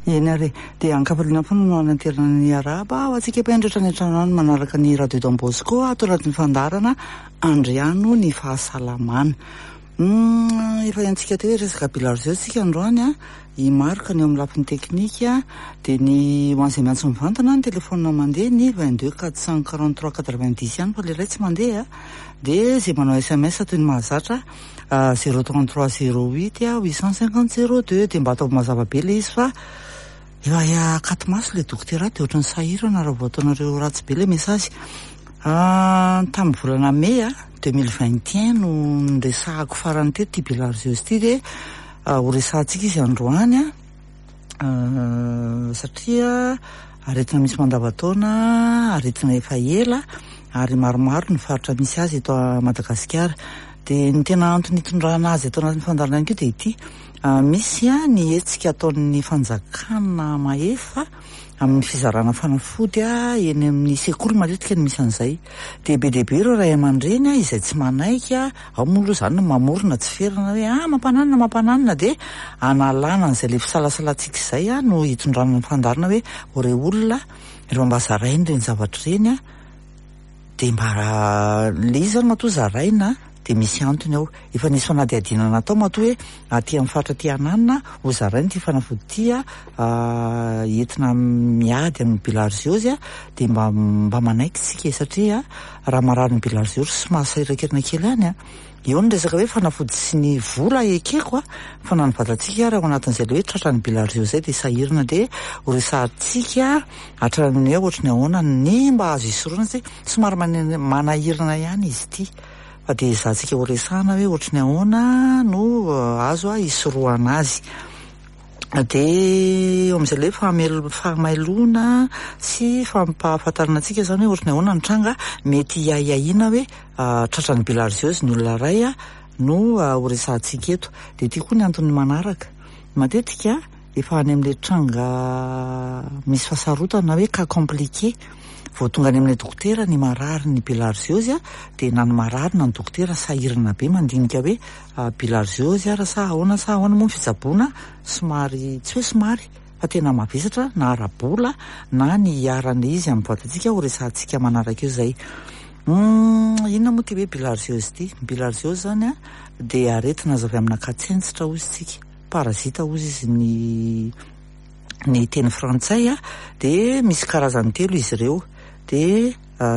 Eny ary e. Dia ankafaliana foana no hananterana ny arahaba ho antsika mpihaino rehetra any an-trano any manaraka ny Radio Don Bosco ato anatin'ny fandaharana Andriano ny fahasalamana. Efa henontsika teo hoe resaka bilharziose isika androany an, i Marc ny eo amin'ny lafiny teknika, dia ny ho an'izay miantso mivantana ny telefaonina mandeha ny 22 443 90 ihany fa ilay iray tsy mandeha an, dia izay manao sms toy ny mahazatra 033 08 850 02 dia mba ataovy mazava be ilay izy fa efa akato-maso ilay dokotera dia ohatran'ny sahirana raha vao ataonareo ratsy be ilay message. Tamin'ny volana mey 2021 no niresahako farany teto ity bilharziose ity dia horesahantsika izy androany satria aretina misy mandavantaona, aretina efa ela ary maromaro ny faritra misy azy eto Madagasikara. Dia ny tena antony hitondrana azy eto anatin'ny fandaharana ihany koa dia ity, misy ny hetsika ataon'ny fanjakana mahefa amin'ny fizarana fanafody eny amin'ny sekoly matetika no misy an'izay. Dia be dia be ireo ray aman-dreny izay tsy manaiky, ao moa aloha izany no mamorona tsy ferana hoe ah mampananona mampananona dia analana an'izay ilay fisalasalantsika izay no hitondrana ny fandaharana hoe ho re olona rehefa mba zaraina ireny zavatra ireny dia mba ilay izy izany matoa zaraina dia misy antony ao. Efa nisy fanadihadiana natao matoa hoe aty amin'ny faritra aty Ananina ho zaraina ity fanafody ity entina miady amin'ny bilharziose dia mba mba manaiky isika e satria raha marary ny bilharziose somary sahirankirana kely ihany eo ny resaka hoe fanafody sy ny vola ekeko fa na ny vatantsika ary ao anatin'izay ilay hoe tratran'ny bilharziose izay dia sahirana dia ho resahantsika hatramin'ny hoe ohatry ny ahoana ny mba azo isorohana satria somary manahirana ihany izy ity. Fa dia ezahantsika ho resahana hoe ohatry ny ahoana no azo hisorohana azy. Dia eo amin'izay ilay hoe fahamailoana sy fampahafantarana antsika izany hoe ohatry ny ahoana ny tranga mety hiahiahiana hoe tratran'ny bilharziose ny olona iray no ho resahantsika eto. Dia ity koa ny antony manaraka. Matetika efa any amin'ilay tranga misy fahasarotana hoe cas compliqué vao tonga any amin'ilay dokotera ny marary ny bilharziose dia na ny marary na ny dokotera sahirana be mandinika hoe bilharziose ary sa ahoana sa ahoana moa ny fitsaboana somary tsy hoe somary fa tena mavesatra na ara-bola na ny hiaran'ilay izy amin'ny vatantsika ho resahantsika manaraka eo izay. Inona moa ity hoe bilharziose ity? Ny bilharziose izany dia aretina azo avy amina katsentsitra hoy isika. Parasite hozy izy ny ny teny frantsay a, dia misy karazany telo izy ireo, dia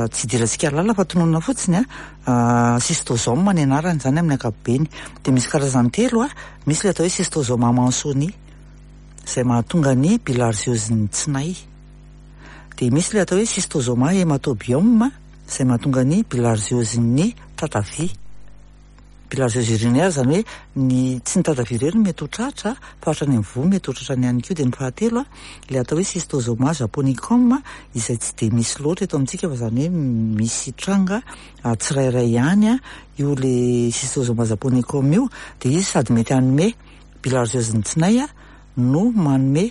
tsy idirantsika lalina fa tononina fotsiny a, schistosome ny anarany izany amin'ny ankapobeny, dia misy karazany telo a, misy ilay atao hoe schistosoma mansoni izay mahatonga ny bilharziose-n'ny tsinay, dia misy ilay atao hoe schistosoma haematobium izay mahatonga ny bilharziose-n'ny tatavia. Bilharziose urinaire, izany hoe ny tsy ny tatavia irery no mety ho tratra fa hatrany amin'ny voa mety ho tratrany ihany koa. Dia ny fahatelo, ilay atao hoe schistosoma japonicum izay tsy dia misy loatra eto amintsika fa izany hoe misy tranga tsirairay ihany io ilay schistosoma japonicum io. Dia izy sady mety hanome bilharziose ny tsinay no manome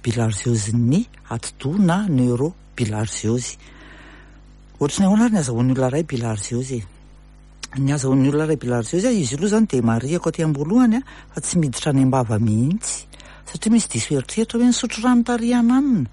bilharziose ny atidoha na neurobilharziose. Ohatry ny ahoana ary ny azahoan'ny olona iray bilharziose e? Ny azahoan'ny olona iray bilharziose, izy io aloha izany dia marihako aty am-boalohany fa tsy miditra any am-bava mihitsy satria misy diso eritreritra hoe nisotro rano tarihana anona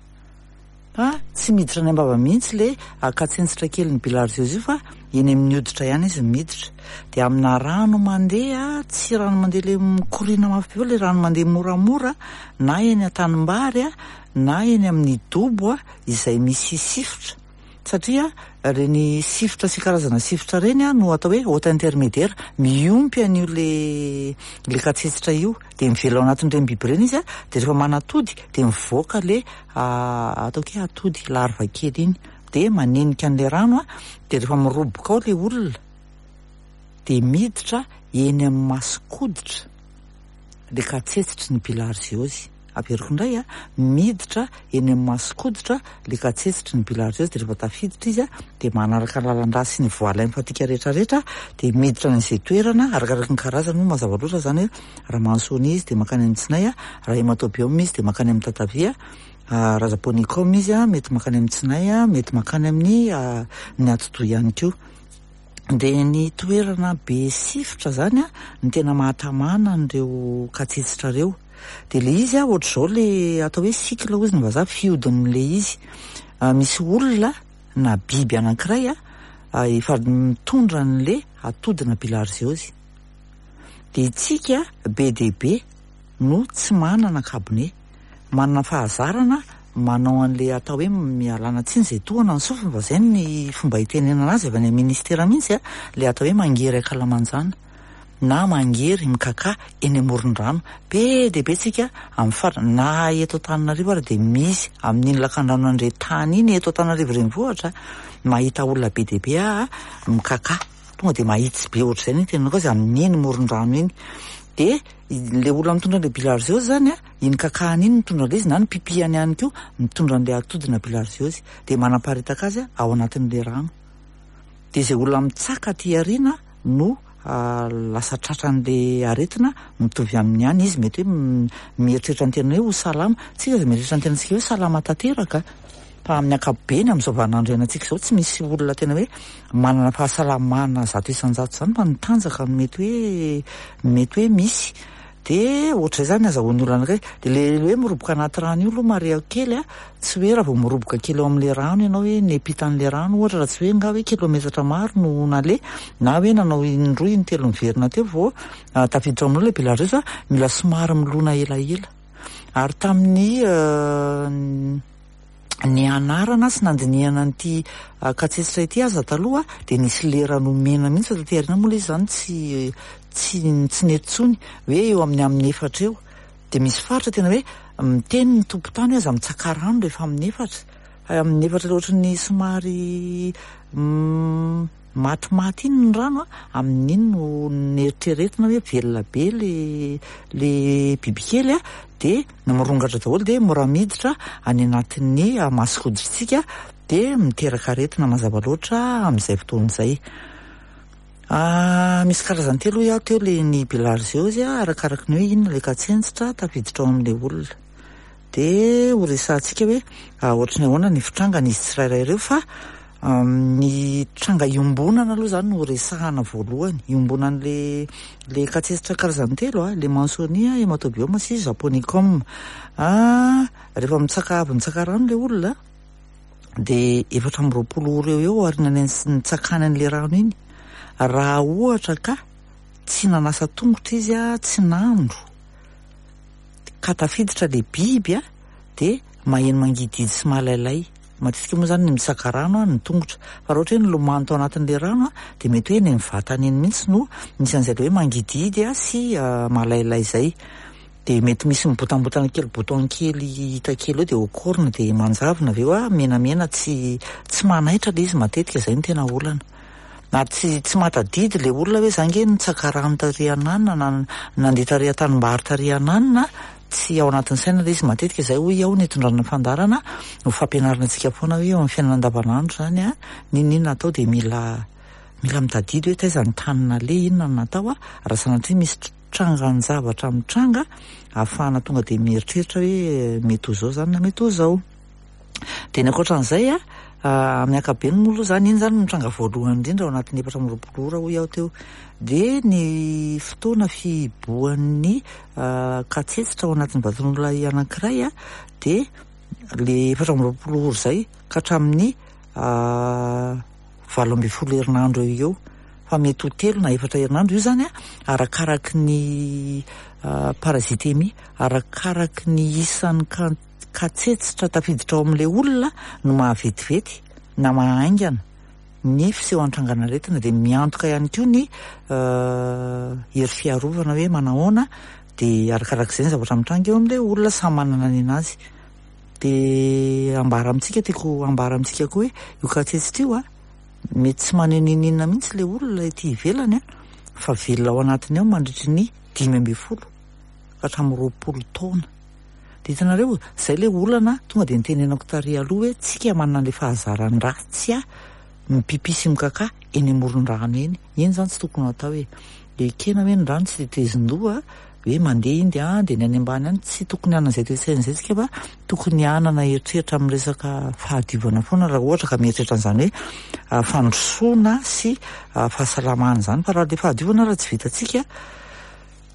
fa tsy miditra any am-bava mihitsy ilay akatsentsitra kely ny bilharziose io fa eny amin'ny hoditra ihany izy no miditra. Dia amina rano mandeha, tsy rano mandeha ilay mikoriana mafy be fa ilay rano mandeha moramora na eny an-tanimbary na eny amin'ny dobo izay misy sifotra. Satria ireny sifotra sy karazana sifotra ireny no atao hoe hôte intermédiaire, miompy an'io le le katsetsitra io, dia mivelona ao anatin'ireny biby ireny izy dia rehefa manatody dia mivoaka le ataoko hoe atody larve kely iny, dia manenika an'ilay rano dia rehefa miroboka ao ilay olona dia miditra eny amin'ny mason-koditra ilay katsetsitry ny bilharziose. Averiko indray a, miditra eny amin'ny mason-koditra ilay katsetsitry ny bilharziose dia rehefa tafiditra izy dia manaraka ny lalan-drà sy ny voie lymphatique rehetra rehetra dia miditra any amin'izay toerana arakaraka ny karazany moa mazava loatra izany hoe raha mansoni izy dia mankany amin'ny tsinay, raha hematobium izy dia mankany amin'ny tatavia, raha japonicum izy mety mankany amin'ny tsinay, mety mankany amin'ny ny atidoha ihany koa. Dia ny toerana be sifotra izany no tena mahatamana an'ireo katsetsitra ireo. Dia ilay izy ohatr'izao ilay atao hoe cycle hozy ny vazaha, fihodin'ilay izy. Misy olona na biby anankiray efa mitondra an'ilay atodina bilharziose. Dia itsika be dia be no tsy manana kabone, manana fahazarana manao an'ilay atao hoe mialana tsiny izay tohana ny sofiny fa izay ny fomba itenenana azy avy any amin'ny ministera mihitsy, ilay atao hoe mangery ankalamanjana na mangery mikakà eny amoron-drano. Be dia be tsika amin'ny faritra, na eto Antananarivo ary dia misy amin'iny lakandrano Andretany iny eto Antananarivo renivohitra, mahita olona be dia be aho mikakà. Tonga dia mahitsy be ohatr'izay ny tenenako azy amin'iny moron-drano iny. Dia ilay olona mitondra an'ilay bilharziose izany, iny kakahany iny mitondra an'ilay izy na ny pipihany ihany koa mitondra an'ilay atodina bilharziose. Dia manaparitaka azy ao anatin'ilay rano. Dia izay olona mitsaka aty aoriana no lasa tratran'ilay aretina mitovy amin'ny any izy. Mety hoe mieritreritra ny tenany hoe ho salama. Tsika izay mieritreritra ny tenantsika hoe salama tanteraka. Fa amin'ny ankapobeny amin'izao vaninandro iainantsika izao tsy misy olona tena hoe manana fahasalamana 100% izany fa ny tanjaka no mety hoe mety hoe misy. Dia ohatr'izay izany ny azahoan'ny olona anankiray. Dia ilay hoe miroboka anaty rano io aloha marihako kely a, tsy hoe raha vao miroboka kely ao amin'ilay rano ianao hoe niampita an'ilay rano ohatra raha tsy hoe nga hoe kilometatra maro no naleha na hoe nanao indroa intelo niverina teo vao tafiditra ao aminao ilay bilharziose fa mila somary milona elaela. Ary tamin'ny nianarana sy nandinihana an'ity katsetsitra ity aza taloha dia nisy lera nomena mihitsy fa taty aoriana moa ilay izy izany tsy tsy tsy nety intsony hoe eo amin'ny amin'ny efatra eo dia misy faritra tena hoe miteny ny tompon-tany hoe aza mitsaka rano rehefa amin'ny efatra fa amin'ny efatra ilay ohatran'ny somary matimaty iny ny rano a, amin'iny no neritreretina hoe velona be le le bibikely a, dia mirongatra daholo dia mora miditra any anatin'ny mason-koditsika dia miteraka aretina mazava loatra amin'izay fotoana izay. Misy karazany telo hoy aho teo le ny bilharziose a, arakaraky ny hoe inona le katsentsitra tafiditra ao amin'ilay olona. Dia ho resahantsika hoe ohatry ny ahoana ny fitrangan'izy tsirairay ireo fa ny tranga iombonana aloha izany no resahana voalohany. Iombonan'le le katsetsitra karazany telo a, le Mansonia, Hematobioma sy Japonicum. Rehefa mitsaka avy mitsaka rano le olona dia 24 ora eo eo aorian'ny nitsakany an'le rano iny. Raha ohatra ka tsy nanasa tongotra izy a, tsy nandro, ka tafiditra le biby a, dia maheno mangidihidy sy malailay. Matetika moa izany ny mitsaka rano ny tongotra. Fa raha ohatra hoe nilomano tao anatin'ilay rano a, dia mety hoe eny amin'ny vatany eny mihitsy no misy an'izay ilay hoe mangidihidy sy malailay izay. Dia mety misy mibotambotana kely, bouton kely hita kely eo dia okorina dia manjavona avy eo a, menamena tsy tsy manaitra ilay izy matetika, izay no tena olana. Ary tsy tsy mahatadidy ilay olona hoe za nge nitsaka rano tary ananona na nandeha tary an-tanimbary tary ananona, tsy ao anatin'ny saina ilay izy matetika. Izay hoy aho ny hitondrana ny fandaharana ho fampianarana antsika foana hoe eo amin'ny fiainana andavanandro izany a, n'inon'inona atao dia mila mila mitadidy hoe taiza ny tany naleha, inona no natao a, raha sanatria misy trangan-javatra mitranga ahafahana tonga dia mieritreritra hoe mety ho izao izany na mety ho izao. Dia ny ankoatran'izay a, amin'ny ankapobeny moa aloha izany, iny izany no mitranga voalohany indrindra ao anatin'ny 24 ora hoy aho teo. Dia ny fotoana fihibohan'ny katsetsitra ao anatin'ny vatan'olona anankiray a, dia le 24 ora izay ka hatramin'ny 18 herinandro eo eo. Fa mety ho 3 na 4 herinandro io izany a, arakaraky ny parasitemia, arakaraky ny isan'ny katsetsitra tafiditra ao amin'ilay olona no mahavetivety na mahaingana ny fisehoan-trangan'aretina. Dia miantoka ihany koa ny hery fiarovana hoe manahoana, dia arakarak'izay ny zavatra mitranga eo amin'ilay olona, samy manana ny anazy. Dia ambara amintsika, tiako ambara amintsika koa hoe io katsetsitra io a, mety tsy maneho n'inon'inona mihitsy ilay olona ety ivelany a, fa velona ao anatiny ao mandritry ny 15 ka hatramin'ny 20 taona. Dia hitanareo, izay ilay olana tonga dia nitenenako tary aloha hoe tsika manana ilay fahazaran-dratsy a, mipipi sy mikaka eny amoron-drano eny. Iny izany tsy tokony ho atao e. Ekena hoe ny rano tsy tetezin-doha, hoe mandeha iny dia any, dia ny any ambany any, tsy tokony hanana izay toe-tsaina izay tsika fa tokony hanana eritreritra amin'ny resaka fahadiovana foana raha ohatra ka mieritreritra an'izany hoe fandrosoana sy fahasalamana izany. Fa raha ilay fahadiovana raha tsy vitantsika,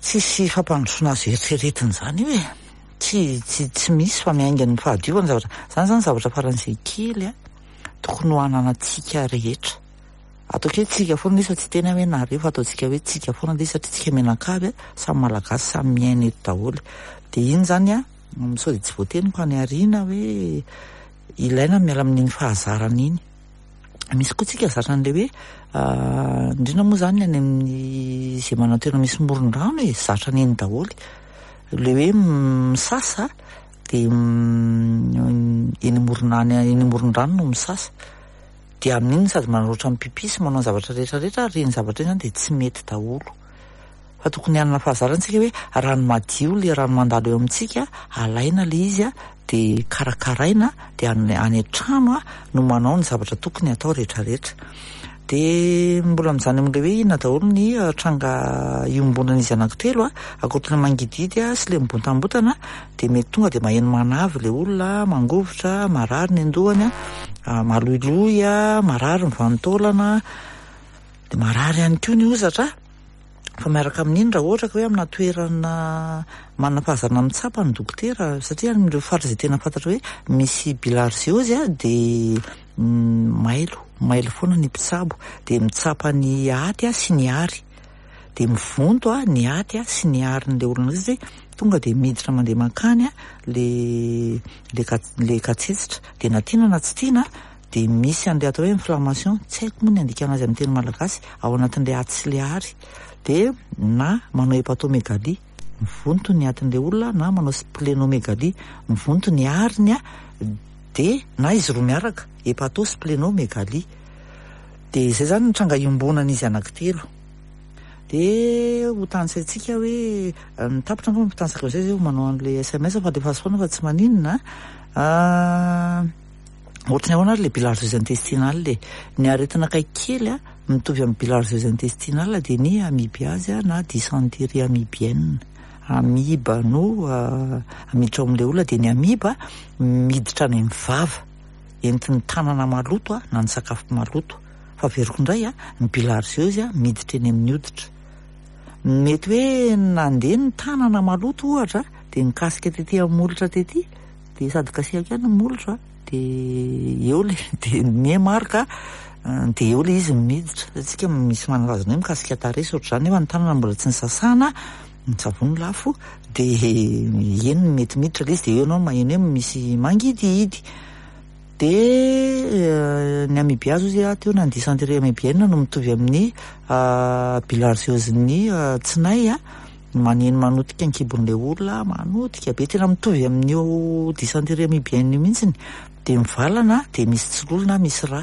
Tsisy fampandrosoana azo eritreretina izany io e! Tsy tsy tsy misy fa miainga ny fahadiovana zavatra. Izany izany zavatra faran'izay kely a, tokony ho ananantsika rehetra. Ataoko hoe tsika foana ilay izy fa tsy hiteny aho hoe nareo fa ataontsika hoe tsika foana ilay izy satria tsika mianakavy a, samy malagasy samy miaina eto daholo. Dia iny izany a, sao dia tsy voateniko any aoriana hoe ilaina ny miala amin'iny fahazarana iny. Misy koa tsika zatra an'ilay hoe indrindra moa izany any amin'ny izay manantena misy moron-drano e, zatra an'iny daholo. Ilay hoe misasa dia eny amoron'any eny amoron-drano no misasa. Dia amin'iny sady manorotra mipipi sy manao ny zavatra rehetra rehetra ary ireny zavatra ireny izany dia tsy mety daholo. Fa tokony hanana fahazarana isika hoe rano madio ilay rano mandalo eo amintsika, alaina ilay izy dia karakaraina dia any an-trano no manao ny zavatra tokony hatao rehetra rehetra. Dia mbola mijanona amin'ilay hoe inona daholo ny tranga iombonan'izy anankitelo, ankoatry ny mangidihidy sy ilay mibontambotana dia mety tonga dia maheno manavy ilay olona, mangovitra, marary ny an-dohany, maloiloy, marary ny vanin-taolana, dia marary ihany koa ny hozatra. Fa miaraka amin'iny raha ohatra ka hoe amina toerana manana fahazarana mitsapa ny dokotera satria any amin'ireo faritra izay tena fantatra hoe misy bilharziose dia mailo, mailo foana ny mpitsabo dia mitsapa ny aty sy ny ary dia mivonto ny aty sy ny arin'ilay olona satria tonga dia miditra mandeha mankany le le katsetsitra dia na tiana na tsy tiana dia misy an'ilay atao hoe inflammation, tsy haiko moa ny handikana azy amin'ny teny malagasy, ao anatin'ilay aty sy ilay ary, dia na manao hepatomégalie, mivonto ny atin'ilay olona, na manao splénomégalie, mivonto ny ariny, dia na izy roa miaraka, hepato splénomégalie. Dia izay izany ny tranga iombonan'izy anankitelo. Dia ho tanisaintsika hoe, ny tapitra angamba ho tanisaiko amin'izay izay vao manao an'ilay sms fa alefaso foana fa tsy maninona an. Ohatry ny ahoana ary ilay bilharziose intestinale e? Ny aretina akaiky kely a, mitovy amin'ny bilharziose intestinale dia ny amibiase na dysenterie amibienne. Amiba no miditra ao amin'ilay olona dia ny amiba miditra any amin'ny vava, entin'ny tanana maloto na ny sakafo maloto. Fa averiko indray a, ny bilharziose miditra eny amin'ny hoditra. Mety hoe nandeha ny tanana maloto ohatra dia nikasika tety amin'ny molotra tety dia sady kasihako ihany ny molotro a, dia eo le dia miha marika dia eo le izy no miditra, satria tsika misy manana hoe mikasika tarehy sy ohatr'izany nefa ny tanana mbola tsy nisasana, ny savony lafo, dia eny no mety miditra le izy dia eo ianao maheno hoe misy mangidihidy. Dia ny amibiazy hozy aho teo na ny dysenterie amibienne no mitovy amin'ny bilharziose-n'ny tsinay a. Maneno manotika ny kibon'ilay olona, manotika be, tena mitovy amin'io dysenterie amibienne io mihitsy, dia mivalana dia misy tsiloly na misy rà.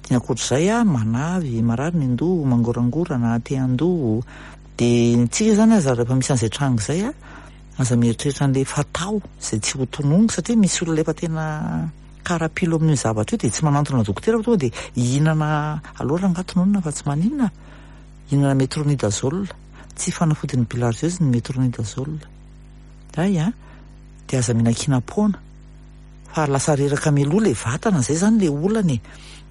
Dia ny ankoatr'izay, manavy, marary ny an-doha, mangorangorana, te handoa. Dia ny antsika izany aza rehefa misy an'izay tranga izay, aza mieritreritra an'ilay fatao izay tsy ho tononiko satria misy olona efa tena karapilo amin'io zavatra io dia tsy manantona dokotera fa tonga dia hihinana aleo rangahy tononina fa tsy maninona. Hihinana metronidazole. Tsy fanafodin'ny bilharziose ny metronidazole. Hay an! Dia aza mihinan-kinam-poana. Fa lasa reraka mialoha ilay vatana, izay izany ilay olana e.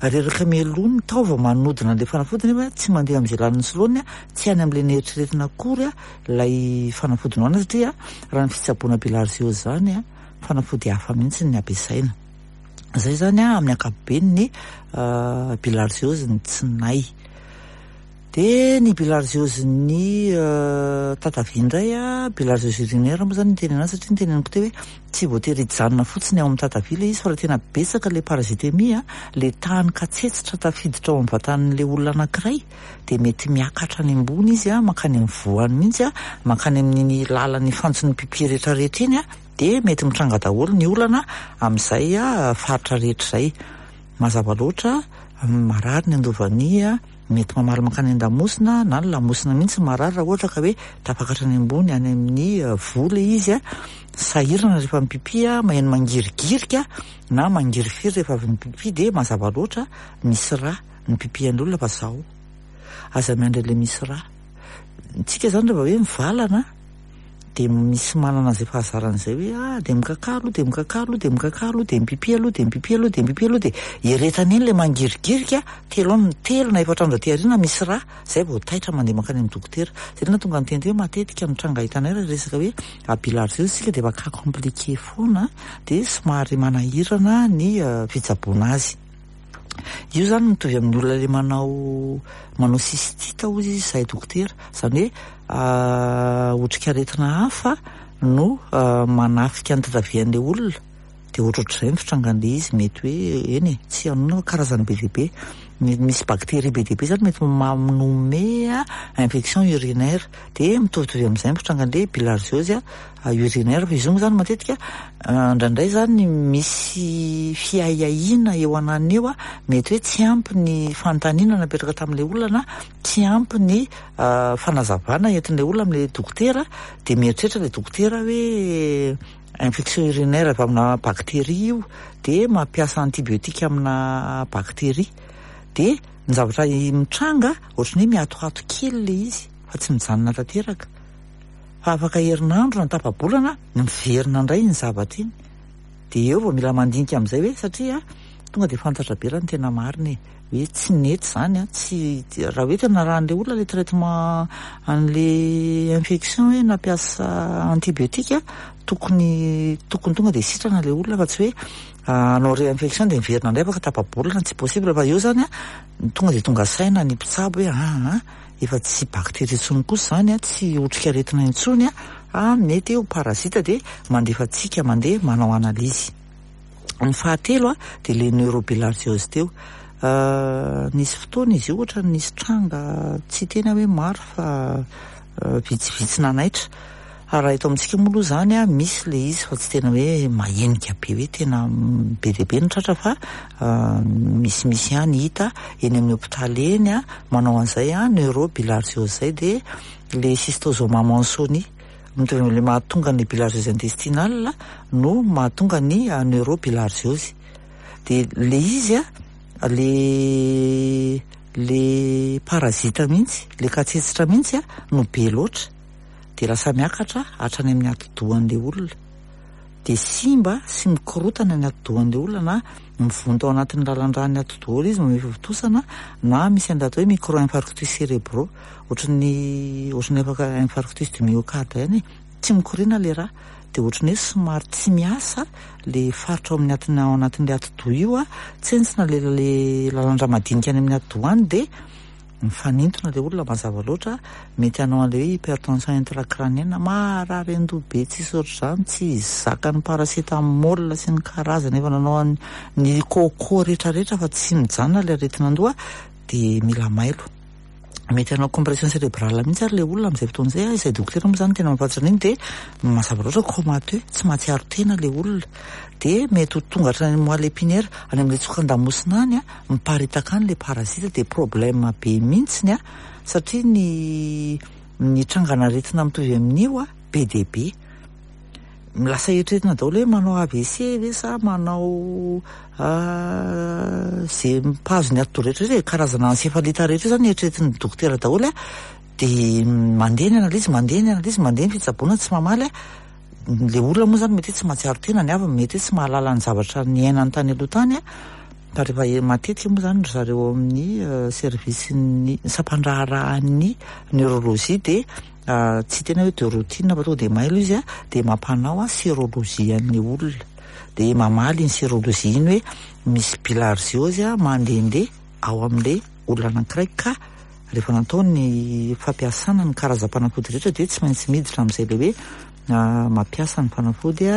Reraka mialoha ny taova manodina an'ilay fanafody nefa tsy mandeha amin'izay lanin'ny soloany, tsy any amin'ilay neritreretina akory ilay fanafody nohanina satria raha ny fitsaboana bilharziose izany, fanafody hafa mihitsy ny ampiasaina. Izay izany amin'ny ankapobeny ny bilharziose ny tsinay. Dia ny bilharziose-n'ny tatavia indray, bilharziose urinaire moa izany no tenenana azy satria noteneniko teo hoe tsy voatery hijanona fotsiny ao amin'ny tatavia ilay izy fa raha tena betsaka ilay parasitemia, ilay tany katsetsitra tafiditra ao amin'ny vatan'ilay olona anankiray dia mety miakatra any ambony izy, mankany amin'ny voany mihitsy, mankany amin'iny lalan'ny fantson'ny pipi rehetrarehetra iny dia mety mitranga daholo ny olana amin'izay faritra rehetra izay. Mazava loatra, marary ny andovania, mety mamaly mankany an-damosina na ny lamosina mihitsy marary raha ohatra ka hoe tafakatra any ambony any amin'ny voa ilay izy, sahirana rehefa mipipi, maheno mangirigirika na mangirifiry rehefa avy mipipi dia mazava loatra misy rà ny pipi-an'ny olona fa zao. Aza miandry an'ilay misy rà. Tsika izany rehefa hoe mivalana. dia misy manana an'izay fahazarana izay hoe ah dia mikakà aloha dia mikakà aloha dia mikakà aloha dia mipipi aloha dia mipipi aloha dia mipipi aloha dia eretana eny ilay mangirigirika, telo andro, telo na efatra andro aty aoriana misy rà, izay vao taitra mandeha mankany amin'ny dokotera. Izay no nahatonga ny teny hoe matetika ny tranga hitanay raha resaka hoe bilharziose isika dia efa cas compliqué foana dia somary manahirana ny fitsaboana azy. Io izany mitovy amin'ny olona ilay manao manao cystite hozy izy izahay dokotera, izany hoe otrikaretina hafa no manafika ny tatavian'ilay olona, dia ohatrohatr'izay ny fitrangan'ilay izy, mety hoe eny e, tsy anona fa karazany be dia be, misy bactérie be dia be izany mety manome infection urinaire, dia mitovitovy amin'izay ny fitrangan'ilay bilharziose urinaire, fa izy io moa izany matetika indraindray izany misy fiahiahiana eo ananona eo, mety hoe tsy ampy ny fanontaniana napetraka tamin'ilay olona na tsy ampy ny fanazavana entin'ilay olona amin'ilay dokotera, dia mieritreritra ilay dokotera hoe infection urinaire avy amina bactérie io, dia mampiasa antibiotique amina bactérie, dia ny zavatra mitranga ohatran'ny hoe miatoato kely ilay izy fa tsy mijanona tanteraka. Fa afaka herinandro na tapa-bolana miverina indray iny zavatra iny. Dia eo vao mila mandinika amin'izay hoe satria tonga dia fantatra be raha ny tena marina e. Hoe tsy nety izany an, tsy raha hoe tena narahan'ilay olona ilay traitement an'ilay infection hoe nampiasa antibiotique, tokony tokony tonga dia sitrana ilay olona fa tsy hoe hanao réinfection dia miverina indray afaka tapa-bolana, tsy possible fa eo izany an, tonga dia tonga saina ny mpitsabo hoe aa. Efa tsy bactérie intsony kosa izany, tsy otrikaretina intsony fa mety ho parasite dia mandefa antsika mandeha manao analyse. Ny fahatelo dia ilay neurobilharziose teo. Nisy fotoana izy io ohatran'ny nisy tranga tsy hiteny aho hoe maro fa vitsivitsy nanaitra. Fa raha eto amintsika moa aloha izany an, misy ilay izy fa tsy tena hoe mahenika be hoe tena be dia be ny tratra fa misimisy ihany hita eny amin'ny hopitaly eny an, manao an'izay an, neurobilharziose izay dia ilay schistosoma mansoni, mitovy amin'ilay mahatonga ny bilharziose intestinale no mahatonga ny neurobilharziose. Dia ilay izy an, ilay ilay parasite mihitsy, ilay katsetsitra mihitsy an no be loatra. dia lasa miakatra hatrany amin'ny atidohan'ilay olona, dia simba sy mikorotana ny atidohan'ilay olona na mivonto ao anatin'ny lalan-dràn'ny atidoha ilay izy manome fivontosana na misy an'ilay atao hoe micro-infarctus cérébraux, ohatran'ny ohatran'ny afaka infarctus du myocarde ihany e, tsy mikoriana ilay rà, dia ohatran'ny hoe somary tsy miasa ilay faritra ao amin'ny atin'ny ao anatin'ilay atidoha io an, tsentsina ilay ilay lalan-drà madinika any amin'ny atidoha any dia Mifanintona ilay olona mazava loatra, mety hanao an'ilay hoe hypertension intracrânienne, marary an-doha be tsisy ohatr'izany, tsy zakan'ny paracétamol sy ny karazany efa nanao ny coco rehetrarehetra fa tsy mijanona ilay aretin'andoha dia mila mailo. Mety hanao compression cérébrale mihitsy ary ilay olona amin'izay fotoana izay, izay dokotera moa izany tena mahafantatra an'iny dia mazava loatra comateux, tsy mahatsiaro tena ilay olona. Dia mety ho tonga hatrany amin'ny moelle épinière, any amin'ilay tsokan-damosina any, miparitaka any le parasite dia problème be mintsiny a satria ny ny trangan'aretina mitovy amin'io a be dia be lasa eritreretina daholo hoe manao AVC ve sa manao ze mpahazo ny atidoha rehetra rehetra e, karazana encéphalite rehetra io zany eritreretin'ny dokotera daholo a dia mandeha ny analyse mandeha ny analyse mandeha ny fitsaboana tsy mamaly a le olona moa zany mety hoe tsy mahatsiaro tena ny havany mety hoe tsy mahalala ny zavatra niainany tany aloha tany a fa rehefa matetika moa zany ry zareo ao amin'ny service-n'ny sampan-draharahan'ny neurologie dia tsy tena hoe de routine fa tonga dia mailo izy a dia mampanao sérologie an'ilay olona dia mamaly iny sérologie iny hoe misy bilharziose a mandehandeha ao amin'ilay olona anankiray ka rehefa natao ny fampiasana ny karazam-panafody rehetra dia tsy maintsy miditra amin'izay ilay hoe mampiasa ny fanafody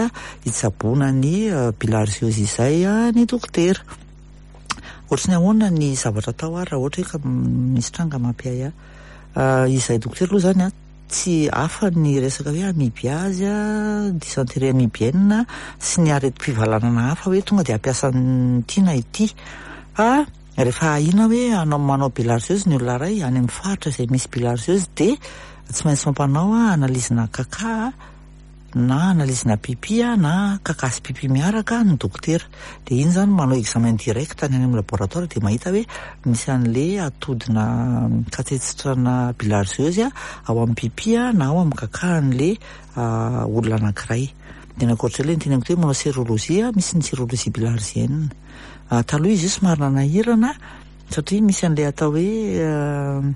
hitsaboana ny bilharziose izay ny dokotera. Ohatry ny ahoana ny zavatra atao ary raha ohatra hoe ka misy tranga mampiahiahy? Izahay dokotera aloha izany tsy hafa ny resaka hoe amibiazy, dysenterie amibienne sy ny aretim-pivalanana hafa hoe tonga dia hampiasa an'ity na ity fa Rehefa ahiana hoe hanao manao bilharziose ny olona iray any amin'ny faritra izay misy bilharziose dia tsy maintsy mampanao analyse-na kaka na analyse-na pipi na kaka sy pipi miaraka ny dokotera. Dia iny izany manao examen direct any amin'ny laboratoire dia mahita hoe misy an'le atodina katsetsitra-na bilharziose ao amin'ny pipi na ao amin'ny kaka an'le olona anankiray. Dia ny ankoatr'izay ilay noteneniko teo hoe manao sérologie, misy ny sérologie bilharzienne. Taloha izy io somary nanahirana satria misy an'ilay atao hoe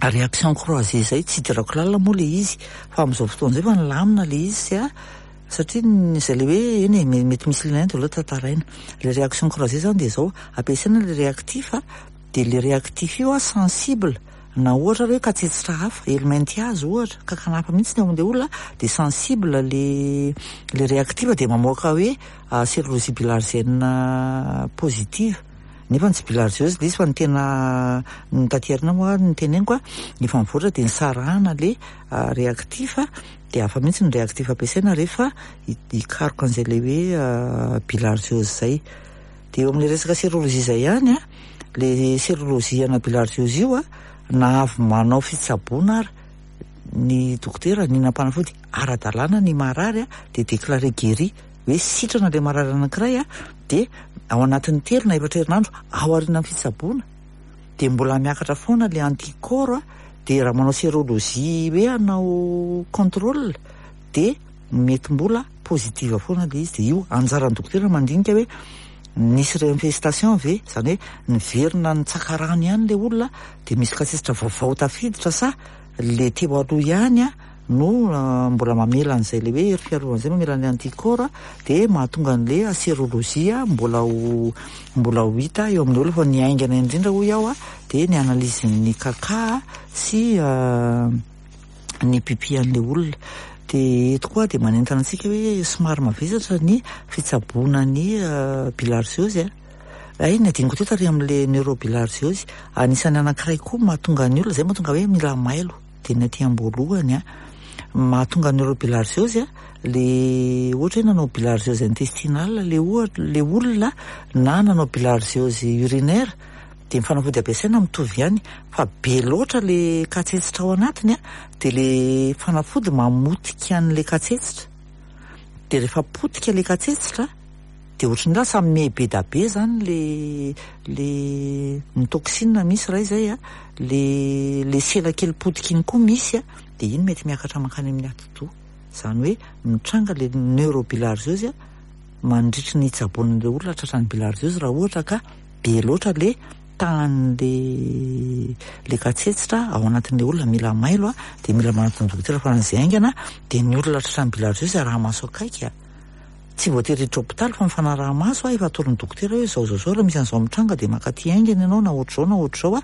réaction croisée izay, tsy idirako lalina moa ilay izy fa amin'izao fotoana izao efa nilamina ilay izy satria izay ilay hoe eny e, mety misy lien dia aleo tantaraina. Ilay réaction croisée izany dia izao, ampiasaina ilay réactif dia ilay réactif io sensible na ohatra ary hoe katsetsitra hafa, helminthiase ohatra, kankana hafa mihitsy ny ao amin'ilay olona dia sensible ilay ilay réactif dia mamoaka hoe sérologie bilharzienne positive. Nefa tsy bilharziose ilay izy fa ny tena ny taty aoriana moa ny teneniko efa mivoatra dia nisarahana ilay réactif dia hafa mihitsy ny réactif ampiasaina rehefa hikaroka an'izay ilay hoe bilharziose izay. Dia eo amin'ilay resaka sérologie izay ihany, ilay sérologie ana bilharziose io na avy manao fitsaboana ary ny dokotera nihinam-panafody ara-dalàna ny marary dia déclaré guéri hoe sitrana ilay marary anankiray dia ao anatin'ny 3 na 4 herinandro aorian'ny fitsaboana dia mbola miakatra foana ilay anticorps dia raha manao sérologie hoe hanao contrôle dia mety mbola positive foana ilay izy. Dia io anjaran'ny dokotera mandinika hoe nisy réinfestation ve, izany hoe niverina nitsaka rano ihany ilay olona dia misy katsetsitra vaovao tafiditra sa ilay teo aloha ihany no mbola mamela an'izay ilay hoe hery fiarovana izay mamela an'ilay anticorps dia mahatonga an'ilay sérologie mbola ho mbola ho hita eo amin'ny olona. Fa ny haingana indrindra hoy aho dia ny analyse ny kaka sy ny pipi an'ilay olona. Dia eto koa dia manentana antsika hoe somary mavesatra ny fitsaboana ny bilharziose. Hay ny adinoko teo tary amin'ilay neurobilharziose, anisan'ny anankiray koa mahatonga ny olona, izay mahatonga hoe mila mailo dia ny aty am-boalohany mahatonga neurobilharziose le ohatra hoe nanao bilharziose intestinale le ohatra le olona na nanao bilharziose urinaire dia ny fanafody ampiasaina mitovy ihany fa be loatra le katsetsitra ao anatiny dia le fanafody mamotika an'le katsetsitra dia rehefa potika le katsetsitra dia ohatran'ny lasa miha be da be zany le le ny toxine misy iray izay le le sela kely potika iny koa misy dia iny mety miakatra mankany amin'ny atidoha, izany hoe mitranga le neurobilharziose mandritry ny hitsaboan'ilay olona tratran'ny bilharziose raha ohatra ka be loatra le tahan'le le katsetsitra ao anatin'ilay olona. Mila mailo dia mila manatona dokotera faran'izay haingana dia ny olona tratran'ny bilharziose araha-maso akaiky tsy voatery hiditra hopitaly fa mifanaraha-maso efa atoron'ny dokotera hoe izao izao izao raha misy an'izao mitranga dia mankaty haingana ianao na ohatr'izao na ohatr'izao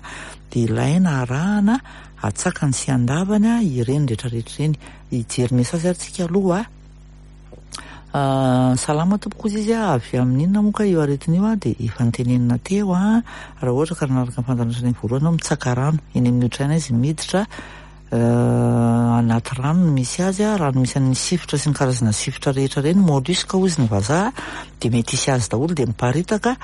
dia ilaina arahana atsakany sy andavany ireny rehetrarehetra ireny. Hijery message ary tsika aloha. Salama tompoko ozy izy avy amin'inona moa ka io aretina io dia efa notenenina teo raha ohatra ka nanaraka ny fandaharana hatrany voalohany ianao mitsaka rano eny amin'ny otrana izy miditra anaty rano no misy azy rano misy an'ny sifotra sy ny karazana sifotra rehetra ireny, mollusque hozy ny vazaha dia mety hisy azy daholo dia miparitaka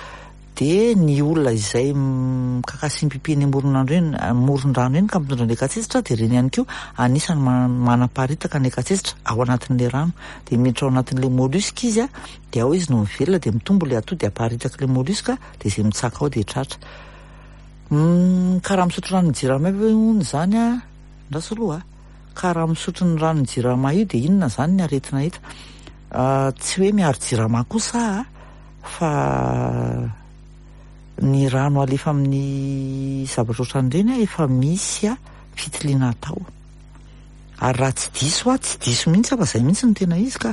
dia ny olona izay mikakasim-pipi eny amoron'andro eny, amoron-drano eny ka mitondra an'ilay katsetsitra dia ireny ihany koa anisan'ny manaparitaka an'ilay katsetsitra ao anatin'ilay rano dia miditra ao anatin'ilay mollusque izy dia ao izy no mivelona dia mitombo ilay atody aparitak'ilay mollusque dia izay mitsaka ao dia tratra. Ka raha misotro ranon'ny jirama io ve hono izany andraso aloha ka raha misotro ny ranon'ny jirama io dia inona izany ny aretina hita? Tsy hoe miaro jirama kosa fa ny rano alefa amin'ny zavatra ohatran'ireny efa misy fitiliana atao. Ary raha tsy diso aho, tsy diso mihitsy aho fa izay mihitsy no tena izy ka.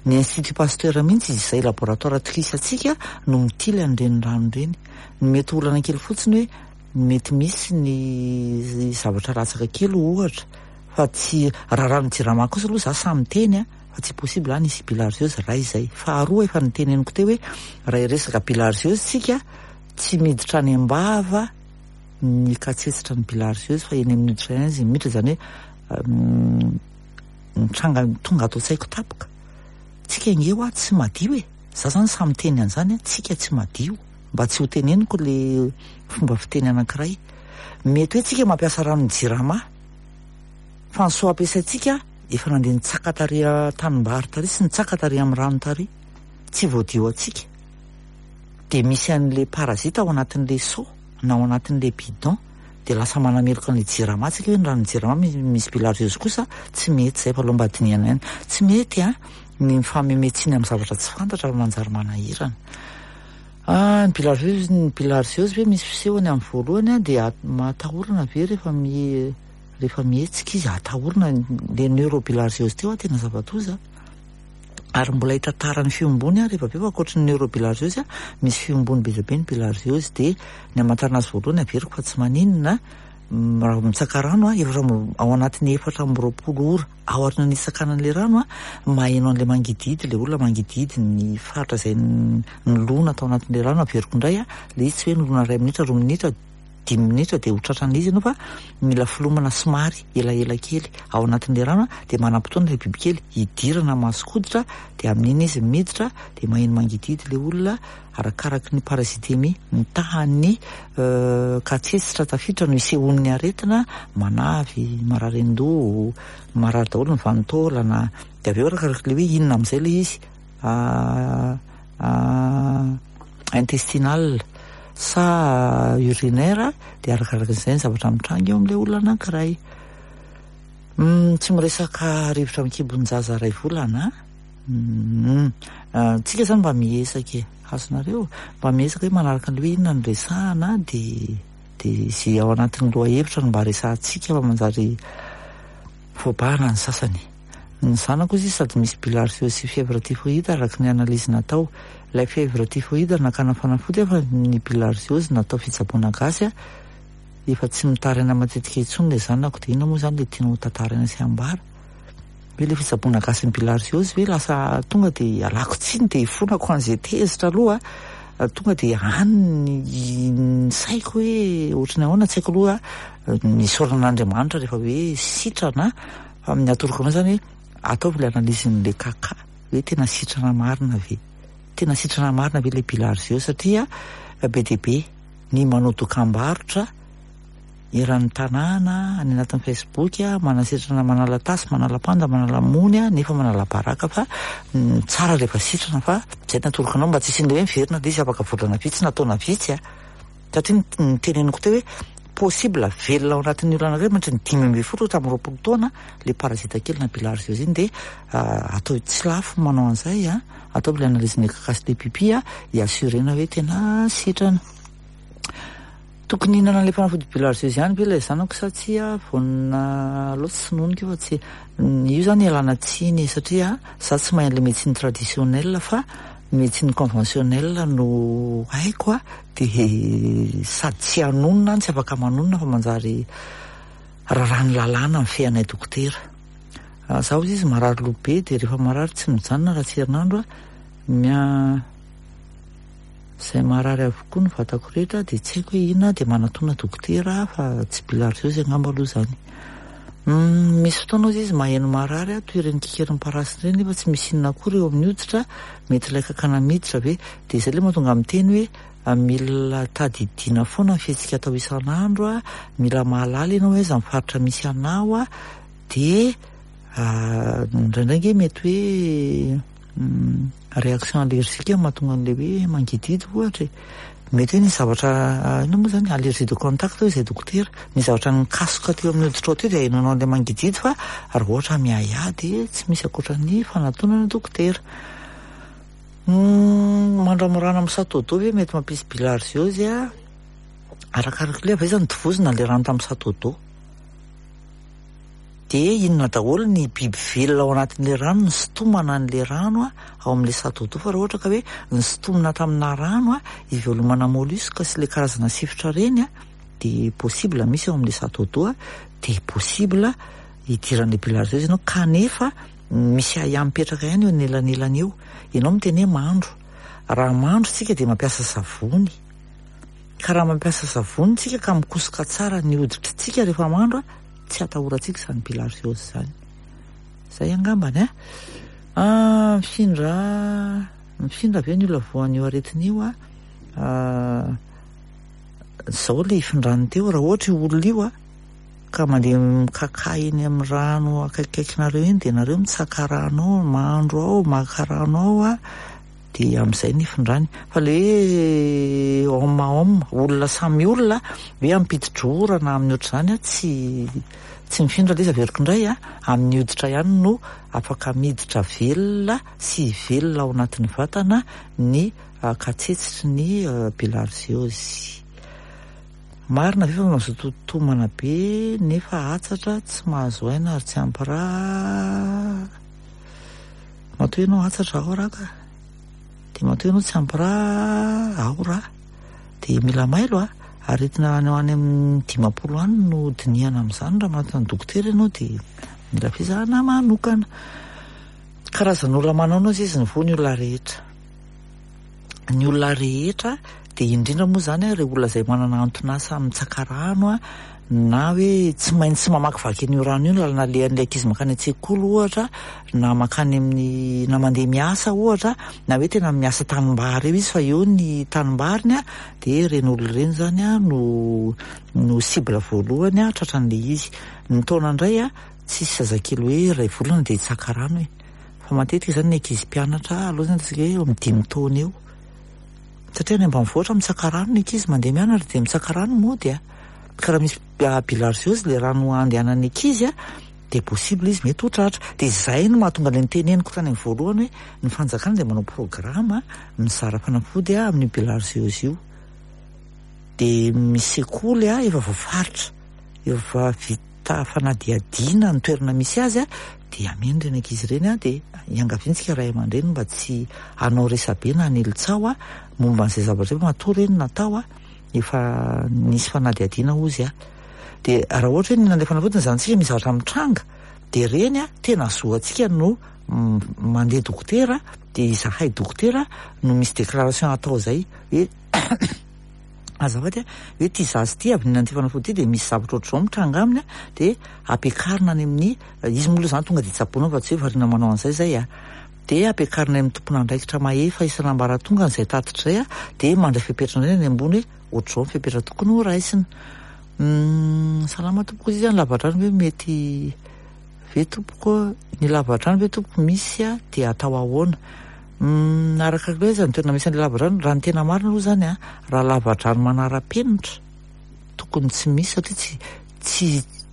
Ny Institut Pasteur mihitsy izay laboratoire atokisantsika no mitily an'ireny rano ireny. Ny mety ho olana kely fotsiny hoe mety misy ny zavatra latsaka kely ohatra fa tsy raha rano jirama kosa aloha za sahy miteny fa tsy possible any hisy bilharziose raha izay. Faharoa efa noteneniko teo hoe raha hiresaka bilharziose tsika tsy miditra any am-bava ny katsetsitra ny bilharziose fa eny amin'ny hoditra ihany izy miditra, izany hoe mitranga tonga ato an-tsaiko tampoka. Tsika ange hoa tsy madio e. Za zany sahy miteny an'izany tsika tsy madio. Mba tsy ho teneniko le fomba fiteny anankiray. Mety hoe tsika mampiasa ranon'ny jirama fa ny soa ampiasaintsika efa nandeha nitsaka tary an-tanimbary tary sy nitsaka tary amin'ny rano tary, tsy voadio antsika. Dia misy an'ilay parasite ao anatin'ilay seau na ao anatin'ilay bidon, dia lasa manameloka an'ilay jirama tsika hoe ny ranon'ny jirama misy bilharziose kosa tsy mety izay fa aleo mba dinihana ihany. Tsy mety an, ny mifameme tsiny amin'ny zavatra tsy fantatra fa manjary manahirana. Ah, ny bilharziose, ny bilharziose ve misy fisehony amin'ny voalohany an, dia atahorana ve rehefa rehefa mihetsika izy, atahorana, le neurobilharziose teo an tena zava-doza. Ary mbola hitantara ny fiombony aho rehefa avy eo fa ankoatry ny neurobilharziose misy fiombony be dia be ny bilharziose dia ny hamantarana azy voalohany averiko fa tsy maninona raha vao mitsaka rano aho efatra amby ao anatin'ny 24 ora aorian'ny nitsakana an'ilay rano aho maheno an'ilay mangidihidy ilay olona mangidihidy ny faritra izay nilona tao anatin'ilay rano averiko indray aho ilay izy tsy hoe nilona iray minitra roa minitra dimy minitra dia ho tratran'ilay izy ianao fa mila filomana somary elaela kely ao anatin'ilay rano dia manam-potoana ilay bibikely hidirana mason-koditra dia amin'iny izy miditra dia maheno mangidihidy ilay olona arakaraky ny parasitemie ny tahan'ny katsetsitra tafiditra no isehoan'ny aretina manavy marary an-doha marary daholo ny vanin-taolana dia avy eo arakaraky ilay hoe inona amin'izay ilay izy intestinal sa urinaire dia arakaraka izay ny zavatra mitranga eo amin'ilay olona anankiray. Tsy miresaka rivotra amin'ny kibon-jaza iray volana an. Tsika zany mba miezaka e, azonareo? Mba miezaka hoe manaraka an'ilay hoe inona no resahana dia dia izay ao anatin'ny lohahevitra no mba resahantsika fa manjary voabahana ny sasany. Ny zanako ozy izy sady misy bilharziose sy fièvre typhoïde araka ny analyse natao. Ilay fièvre typhoïde nakana fanafody fa ny bilharziose natao fitsaboana gasy efa tsy mitaraina matetika intsony ilay zanako dia inona moa izany ilay tianao ho tantaraina sy ambara? Hoe ilay fitsaboana gasy ny bilharziose ve lasa tonga dia ialako tsiny dia ifonako an'izay tezitra aloha tonga dia any ny saiko hoe ohatry ny ahoana tsy haiko aloha misaorana an'Andriamanitra rehefa hoe sitrana fa amin'ny atoroko anao izany hoe ataovy ilay analyse-n'ilay kaka hoe tena sitrana marina ve tena sitrana marina ve ilay bilharziose satria be dia be ny manao dokam-barotra eran'ny tanàna any anatin'ny Facebook manasitrana manala tasy manala panda manala mony nefa manala baraka fa tsara rehefa sitrana fa izay no atoroko anao mba tsy hisian'ilay hoe miverina ilay izy afaka volana vitsy na taona vitsy a satria ny teneniko teo hoe possible velona ao anatin'ny olona anankiray mandritra ny 15 hatramin'ny 20 taona ilay parasite kely na bilharziose iny dia atao tsy lafo manao an'izay a ataovy ilay analyse ny kaka sy ilay pipi a hi-assurena hoe tena sitrana. Tokony hihinana an'ilay fanafody bilharziose ihany ve ilay zanako sa tsia? Vonona loatra tsy noniko io fa tsy io izany ialana tsiny satria za tsy mahay an'ilay médecine traditionnelle fa médecine conventionnelle no haiko a dia sady tsy hanonona tsy afaka manonona fa manjary raràn'ny lalàna mifehy anay dokotera. Za hozy izy marary loha be dia rehefa marary tsy mijanona raha tsy herinandro a mia Izay marary avokoa ny vatako rehetra dia tsy haiko hoe inona dia manatona dokotera aho fa tsy bilharziose angamba aloha izany. Misy fotoana hozy izy maheno marary aho toy ireny kikerin'ny parasy ireny nefa tsy misy inona akory eo amin'ny hoditra, mety ilay kankana miditra ve? Dia izay ilay mahatonga miteny hoe mila tadidiana foana ny fihetsika atao isan'andro, mila mahalala ianao hoe aiza ny faritra misy anao dia indraindray ange mety hoe Réaction allergique no mahatonga an'ilay hoe mangidihidy ohatra e. Mety hoe nisy zavatra inona moa izany allergie de contact hoy izay dokotera. Nisy zavatra nikasoka teo amin'ny hoditrao teo dia ahenoanao an'ilay mangidihidy fa raha ohatra miahiahy dia tsy misy ankoatra ny fanatonana dokotera. Mandramorana amin'ny château d'eau ve mety mampisy bilharziose a? Arakaraka ilay avy aiza no tovozina ilay rano tamin'ny château d'eau. Dia inona daholo ny biby velona ao anatin'ilay rano nisintomana an'ilay rano ao amin'ilay château d'eau fa raha ohatra ka hoe nisintomina tamina rano ivelomana mollusque sy ilay karazana sifotra ireny dia possible misy ao amin'ilay château d'eau dia possible hidiran'ilay bilharziose ianao kanefa misy ahiahy mipetraka ihany eo anelanelany eo. Ianao miteny hoe mandro. Raha mandro isika dia mampiasa savony. Ka raha mampiasa savony tsika ka mikosoka tsara ny hoditritsika rehefa mandro a, tsy atahorantsika izany bilharziose izany. Izay angambany a. Ah, mifindra mifindra ve ny olona voan'io aretina io a? Ah, izao ilay ifindrany teo, raha ohatra io olona io a, Ka mandeha mikakà eny amin'ny rano akaikikaikinareo eny dia nareo mitsaka rano ao, mandro ao, maka rano ao a, dia amin'izay ny ifindrany. Fa le hoe homme à homme, olona samy olona, hoe ampidi-drora na amin'ny ohatr'izany a, tsy tsy mifindra ilay izy averiko indray a, amin'ny hoditra ihany no afaka miditra velona sy hivelona ao anatin'ny vatana ny katsetsitry ny bilharziose. Marina ve fa mazoto tomana be nefa hatsatra, tsy mahazo aina ary tsy ampy rà? Matoa ianao hatsatra ao rà ka. Dia matoa ianao tsy ampy rà ao rà. Dia mila mailo a. Aretina any ho any amin'ny 50 any no dinihana amin'izany raha manatona dokotera ianao dia mila fizahana manokana. Karazan'olona manao anao izy ny voa ny olona rehetra. Ny olona rehetra dia indrindra moa izany ireo olona izay manana anton'asa mitsaka rano na hoe tsy maintsy mamakivaky an'io rano io ny lalana alehan'ilay ankizy mankany an-tsekoly ohatra na mankany amin'ny na mandeha miasa ohatra na hoe tena miasa tanimbary eo izy fa eo ny tanimbariny dia ireny olona ireny izany no no cible voalohany tratran'ilay izy. Ny taona indray tsisy zazakely hoe iray volana dia hitsaka rano e. Fa matetika izany ny ankizy mpianatra aloha izany ataontsika hoe eo amin'ny 5 taona eo. Satria any ambanivohitra mitsaka rano ny ankizy mandeha mianatra dia mitsaka rano mody a. Ka raha misy bilharziose ilay rano andehanan'ny ankizy a, dia possible izy mety ho tratra. Dia izay no mahatonga ilay niteneniko tany amin'ny voalohany hoe ny fanjakana dia manao programme mizara fanafody amin'io bilharziose io. Dia misy sekoly efa voafaritra, efa vita fanadihadiana ny toerana misy azy dia ameno ireny ankizy ireny dia iangaviantsika ray aman-dreny mba tsy hanao resabe na hanely tsaho momba an'izay zavatra izay fa matoa ireny natao efa nisy fanadihadiana hozy Dia raha ohatra hoe nihinana ilay fanafody ny zanatsika misy zavatra mitranga dia ireny tena zo antsika no mandeha dokotera dia izahay dokotera no misy déclaration atao izay hoe azafady a, hoe ity zaza ity avy nihinana ity fanafody ity dia misy zavatra ohatr'izao mitranga aminy a, dia ampiakarina any amin'ny, izy moa aloha izany tonga dia tsaboina fa tsy hoe variana manao an'izay izay a, dia ampiakarina any amin'ny tompon'andraikitra mahefa isan'ambaratongany izay tatitra izay a, dia mandray fepetra indray ny any ambony hoe ohatr'izao ny fepetra tokony ho raisina. Salama tompoko, izy ny lavadrano ve mety ve tompoko, ny lavadrano ve tompoko misy a, dia atao ahoana? Araka ny hoe aiza ny toerana misy an'ilay lavadrano, raha ny tena marina aloha izany a, raha lavadrano manara-penitra tokony tsy misy satria tsy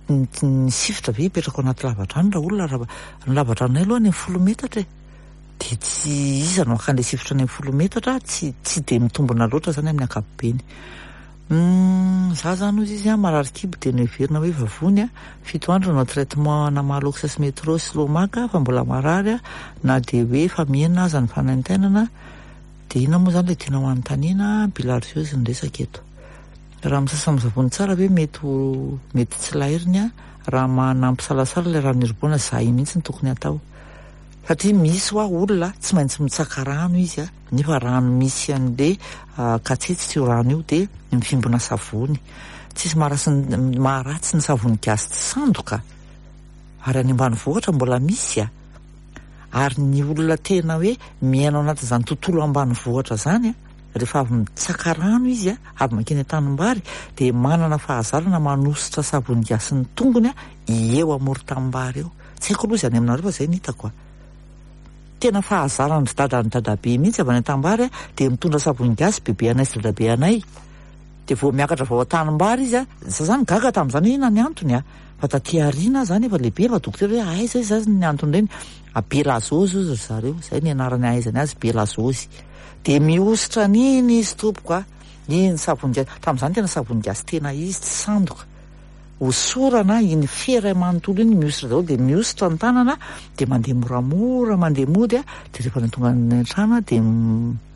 tsy ny sifotra ve hipetraka ao anaty lavadrano raha olona raha ny lavadranonay aloha any amin'ny 10 metatra e, dia tsy iza no haka an'ilay sifotra any amin'ny 10 metatra, tsy tsy dia mitombina loatra izany amin'ny ankapobeny. Za zany hozy izy marary kibo dia noheverina hoe vavony a, 7 andro nanao traitement ana Malox sy Metro sy Lomac fa mbola marary na dia hoe efa mihena aza ny fanaintainana dia inona moa zany ilay tianao hanontaniana, bilharziose ny resaka eto. Raha misasa amin'ny savony tsara ve mety ho mety tsy lairiny raha manampisalasala ilay rano irobohana zay mihitsy no tokony hatao. Satria misy hoa olona tsy maintsy mitsaka rano izy nefa rano misy an'le katsetsitra io rano io dia mivimbina savony. Tsisy maharatsy ny savony gasy tsy sandoka ary any ambanivohitra mbola misy a. Ary ny olona tena hoe miaina ao anatin'izany tontolo ambanivohitra izany a, rehefa avy mitsaka rano izy a, avy mankeny an-tanimbary dia manana fahazarana manosotra savony gasy ny tongony a eo amoron-tanimbary eo. Tsy haiko aloha izay any aminareo fa izay no hitako a. Tena fahazaran-dry dada ny dadabe mihitsy avy any an-tanimbary a, dia mitondra savony gasy bebe anay sy dadabe anay. Dia vao miakatra avy ao an-tanimbary izy a, za zany gaga tamin'izany hoe inona ny antony a, fa taty aoriana aho zany efa lehibe efa dokotera hoe aiza izy zany ny anton'ireny, Belazozy hozy ry zareo, izay ny anarany ahaizany azy Belazozy. Dia mihosotra an'iny izy tompoko a, iny savony gasy, tamin'izany tena savony gasy tena izy tsy sandoka. Hosorana iny fehy iray manontolo iny mihosotra daholo dia mihosotra ny tanana dia mandeha moramora mandeha mody a, dia rehefa tonga any an-trano dia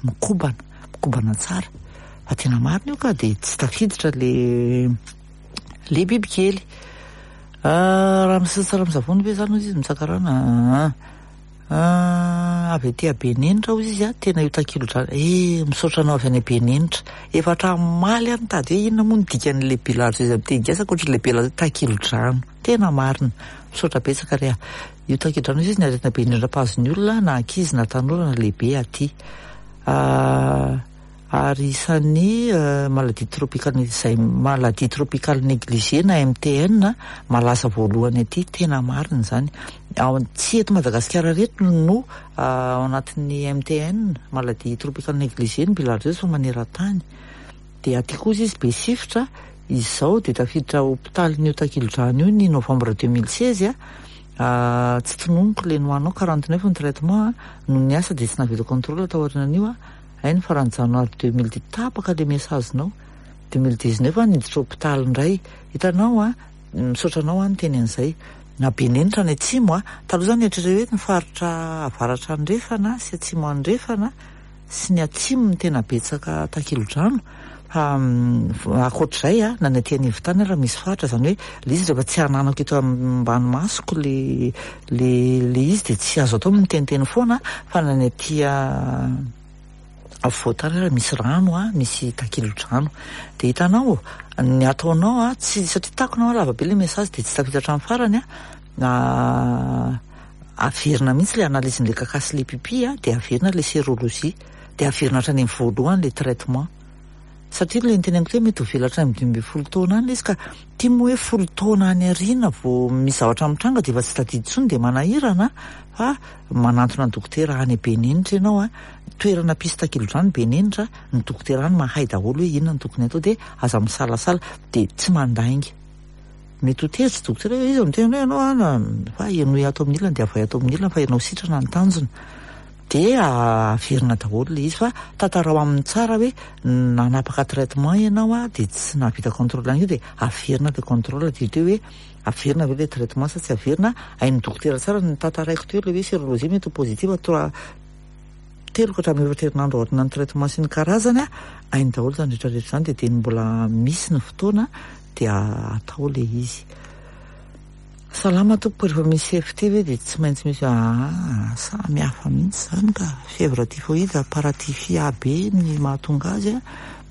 mikobana, mikobana tsara. Fa tena marina io ka dia tsy tafiditra le le bibikely. Raha misy tsara amin'ny savony ve izany hozy izy mitsaka rano? Aa. Avy aty Benenitra hozy izy a, tena io takilodrano, eh misaotra anao avy any Benenitra. Efa hatramin'ny omaly aho nitady hoe inona moa ny dikan'ilay bilharziose amin'ny teny gasy ankoatran'ilay bilharziose, takilodrano. Tena marina. Misaotra betsaka re a. Io takilodrano hozy izy ny aretina be indrindra mpahazo ny olona na ankizy na tanora na lehibe aty. Ary isan'ny maladie tropicale izay maladie tropicale négligée na MTN malaza voalohany aty, tena marina izany. Ao tsy eto Madagasikara ireto no ao anatin'ny MTN, maladie tropicale négligée ny bilharziose fa maneran-tany. Dia aty kosa izy be sifotra, izao dia tafiditra hopitalin'io takilodrano io ny novembre 2016 a, tsy tononiko le nohanao 49 ny traitement a, no niasa dia tsy nahavita contrôle tao aorianan'io a. Hay ny faran'ny janoary 2010 tapaka le message-nao, 2019 aho niditra hopitaly indray, hitanao an, misaotra anao aho niteny an'izay, na Benenitra any atsimo an, taloha zany eritrereto hoe ny faritra avaratra andrefana sy atsimo andrefana sy ny atsimo no tena betsaka takilodrano, fa ankoatr'izay an, na ny aty anivon-tany ara misy faritra, izany hoe le izy rehefa tsy ananako eto ambany masoko le le le izy dia tsy azo atao miteniteny foana fa na ny aty afovoan-tany ara misy rano a, misy takilodrano. Dia hitanao, ny ataonao a, tsy satria takona lava be le message dia tsy tafita hatramin'ny farany a, averina mihitsy le analyse-n'le caca sy le pipi a, dia averina le sérologie, dia averina hatrany amin'ny voalohany le traitement. Satria ilay niteneniko teo mety ho velatra any amin'ny 15 taona any ilay izy ka ity moa hoe 10 taona any aoriana vao misy zavatra mitranga dia efa tsy tadidy intsony dia manahirana fa manantona dokotera any Benenitra ianao a, toerana mpisy takilodrano Benenitra, ny dokotera any mahay daholo hoe inona no tokony atao dia aza misalasala dia tsy mandainga. Mety ho tezitra dokotera hoe iza miteny hoe ianao an, fa henoy ato amin'ny ilany dia avay ato amin'ny ilany fa ianao sitrana ny tanjona. Dia averina daholo ilay izy fa tantarao aminy tsara hoe nanapaka traitement ianao a, dia tsy nahavita contrôle an'io dia averina ilay contrôle, dia teo hoe averina ve ilay traitement sa tsy averina, hain'ny dokotera tsara ny tantaraiko teo ilay hoe sérologie mety ho positive trois telo ka hatramin'ny efatra herinandro aorianan'ny traitement sy ny karazany a, hainy daholo izany rehetra rehetra izany dia dia mbola misy ny fotoana dia atao ilay izy. Salama tompoko, rehefa misy FT ve dia tsy maintsy misy aa samy hafa mihitsy izany ka, fièvre typhoïde, paratyphie A B ny mahatonga azy a,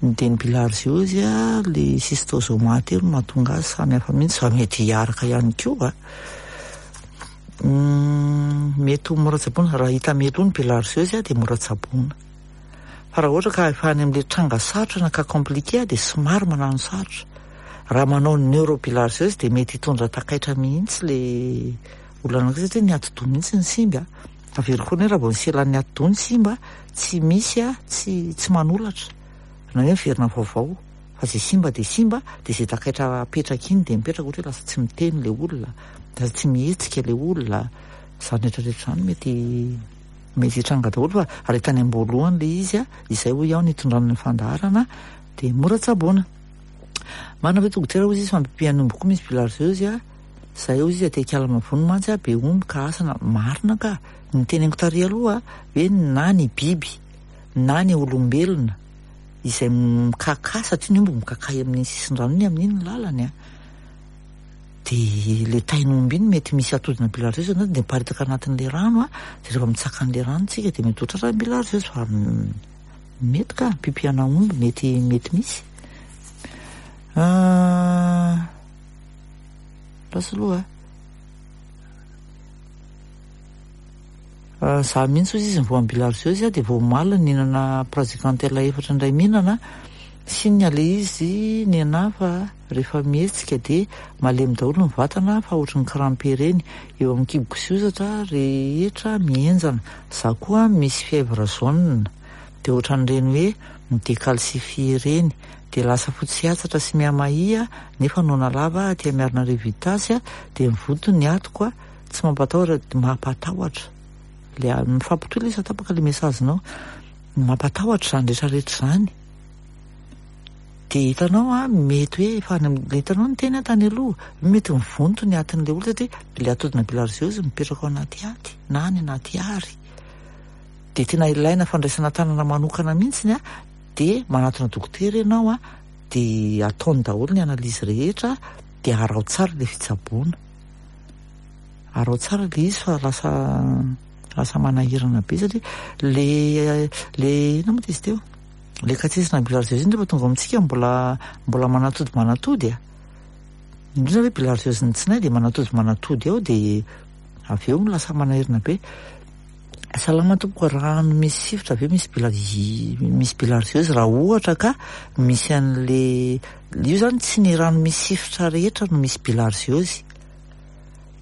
dia ny bilharziose a, le schistosoma teo no mahatonga azy, samy hafa mihitsy fa mety hiaraka ihany koa a. Mety ho mora tsaboina, raha hita mialoha ny bilharziose dia mora tsaboina. Fa raha ohatra ka efa any amin'ilay tranga sarotra na cas compliqué dia somary manano sarotra. Raha manao neurobilharziose dia mety hitondra takaitra mihitsy le olona anankiray satria ny atidoha mihitsy ny simba. Averiko foana hoe raha vao ny selan'ny atidoha ny simba, tsy misy tsy tsy manolatra na hoe miverina vaovao fa izay simba dia simba dia izay takaitra apetraka iny dia mipetraka ohatra hoe lasa tsy miteny le olona, lasa tsy mihetsika le olona, izany rehetra rehetra izany mety Mety hitranga daholo fa raha tany am-boalohany ilay izy, izay hoy aho nitondrana ny fandaharana dia mora tsaboina. Marina ve dokotera hozy izy fa ampipihan'ny omby koa misy bilharziose a, zay hozy izy aty Ankalamavony mantsy a, be omby ka asa na marina ka, ny teneniko tary aloha hoe na ny biby na ny olombelona izay mikakà satria ny omby mikakà amin'iny sisin-drano iny amin'iny ny lalany a. Dia ilay tain'omby iny mety misy atodina bilharziose ao anatiny dia miparitaka anatin'ilay rano a, dia rehefa mitsaka an'ilay rano tsika dia mety ho tratran'ny bilharziose fa mety ka, pipihana omby mety mety misy. Lasa aloha a. Za mihitsy hozy izy ny voan'ny bilharziose dia vao omaly nihinana praziquantel efatra indray mihinana, signe le izy ny anah fa rehefa mihetsika dia malemy daholo ny vatana fa ohatry ny crampe ireny eo amin'ny kiboko sy hozatra rehetra mihenjana, za koa misy fièvre jaune dia ohatran'ireny hoe mi-decalcifie ireny dia lasa fotsy hatsatra sy mihamahia nefa noana lava aty Miarinarivo Itasy dia mivonto ny atiko Tsy mampatahotra dia mampatahotra. Le mifampitohy ilay izy fa tapaka ilay message-nao. Mampatahotra izany rehetra rehetra izany. Dia hitanao an, mety hoe efa any amin'ny, hitanao ny teny tany aloha, mety mivonto ny atin'ilay olona satria ilay atodina bilharziose mipetraka ao anaty aty na any anaty ary. Dia tena ilaina fandraisana tanana manokana mihitsy an, dia manatona dokotera ianao an, dia ataony daholo ny analyse rehetra, dia araho tsara ilay fitsaboana. Araho tsara le izy fa lasa lasa manahirana be satria le le inona moa izy teo? Le katsetsina bilharziose iny rehefa tonga ao amintsika mbola mbola manatody manatody a. Indrindra hoe bilharziose ny tsinay dia manatody manatody ao dia avy eo lasa manahirana be. Salama tompoko, rano misy sifotra ve misy bilharzi misy bilharziose raha ohatra ka misy an'le io zany tsy ny rano misy sifotra rehetra no misy bilharziose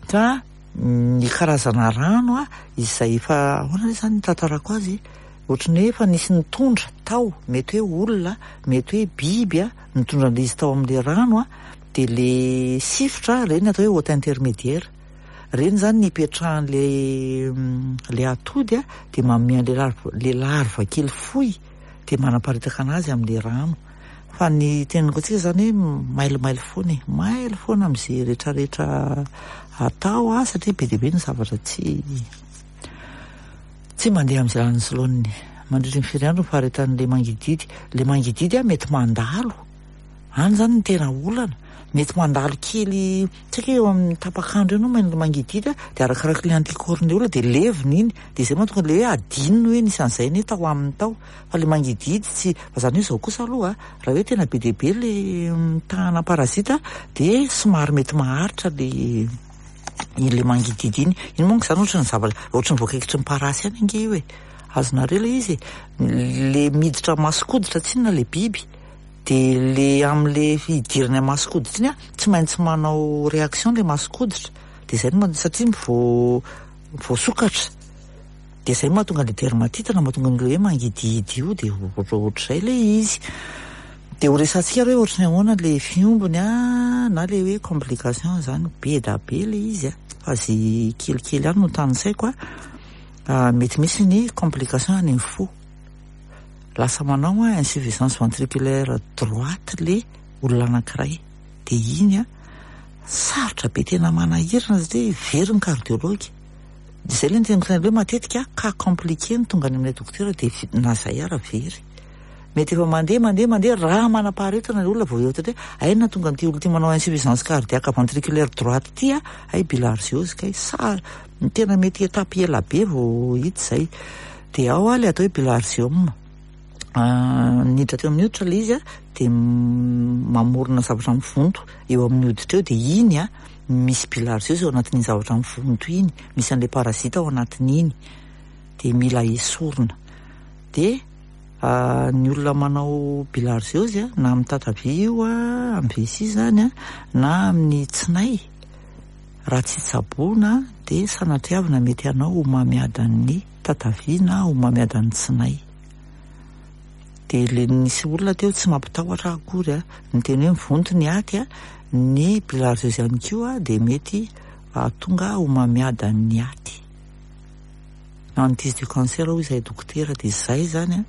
fa ny karazana rano a izay efa ahoana re zany ny tantarako azy ohatry ny hoe efa nisy nitondra tao mety hoe olona mety hoe biby a nitondra an'le izy tao amin'le rano a de le sifotra reny atao hoe hôte intermédiaire. Reny zany ny ipetrahan'le le atody a de manome an'le larve le larve kely fohy de manaparitaka anazy amin'le rano. Fa ny teneniko antsika zany hoe mailomailo foana e, mailo foana amin'izay rehetrarehetra atao a satria be dia be ny zavatra tsy tsy mandeha amin'izay lalany sy laoniny. Mandritry ny firy andro ny faharetan'le mangidihidy? Le mangidihidy a mety mandalo. Any zany no tena olana. Mety mandalo kely, tsy haiko hoe eo amin'ny tapak'andro eo no mangidihidy a, dia arakarak'ilay le anticorps-n'ilay olona dia levona iny. Dia izay mahatonga ilay hoe adinony hoe nisy an'izay anie tao aminy tao. Fa ilay mangidihidy tsy, fa izany hoe izao kosa aloha a, raha hoe tena be dia be ilay tahana parasite dia somary mety maharitra ilay ilay mangidihidy iny. Iny manko izany ohatran'ny zavatra, ohatran'ny voakaikitry ny parasy ihany ange io e. Azonareo ilay izy e. Ilay miditra mason-koditra tsinona ilay biby. De le amle fidirany am mason-koditra iny an, tsy maintsy manao réaction le mason-koditra, de zay no mahatonga satria vo voasokatra, de zay no mahatonga le dermatite na mahatonga an'le hoe mangidihidy io de ohatrohatr'izay le izy. De ho resahantsika ary hoe ohatry ny ahoana le fiombony an, na le hoe complication zany, be da be le izy an, fa ze kelikely ihany no tanisaiko an, mety misy ny complication any amin'ny fo. Lasa manao an insuffisance ventriculaire droite le olona anankiray de iny an sarotra be tena manahirana satria very ny cardiologue de zay le niteniko tany aloha hoe matetika cas compliqué no tonga any aminay dokotera de na zay ara very mety efa mandeha mandeha mandeha raha manam-paharetana le olona vao eo satria hay nahatonga an'ity olona ity manao insuffisance cardiaque ventriculaire droite ity an hay bilharziose kay sa tena mety étape ela be vao hita izay. Dia ao ilay atao hoe bilharzium. Niditra teo amin'ny hoditra ilay izy dia mamorona zavatra mivonto eo amin'ny hoditra eo dia iny an, misy bilharziose ao anatin'iny zavatra mivonto iny, misy an'ilay parasite ao anatin'iny dia mila esorina. Dia ny olona manao bilharziose na amin'ny tatavia io amin'ny vessie izany na amin'ny tsinay Raha tsy tsaboina dia sanatriavina mety hanao homamiadan'ny tatavia na homamiadan'ny tsinay. Dia le nisy olona teo tsy mampitahotra ahy akory a, niteny hoe mivonto ny aty a, ny bilharziose ihany koa dia mety hahatonga homamiadan'ny aty. Hantise du cancer hoy izahay dokotera dia izay izany a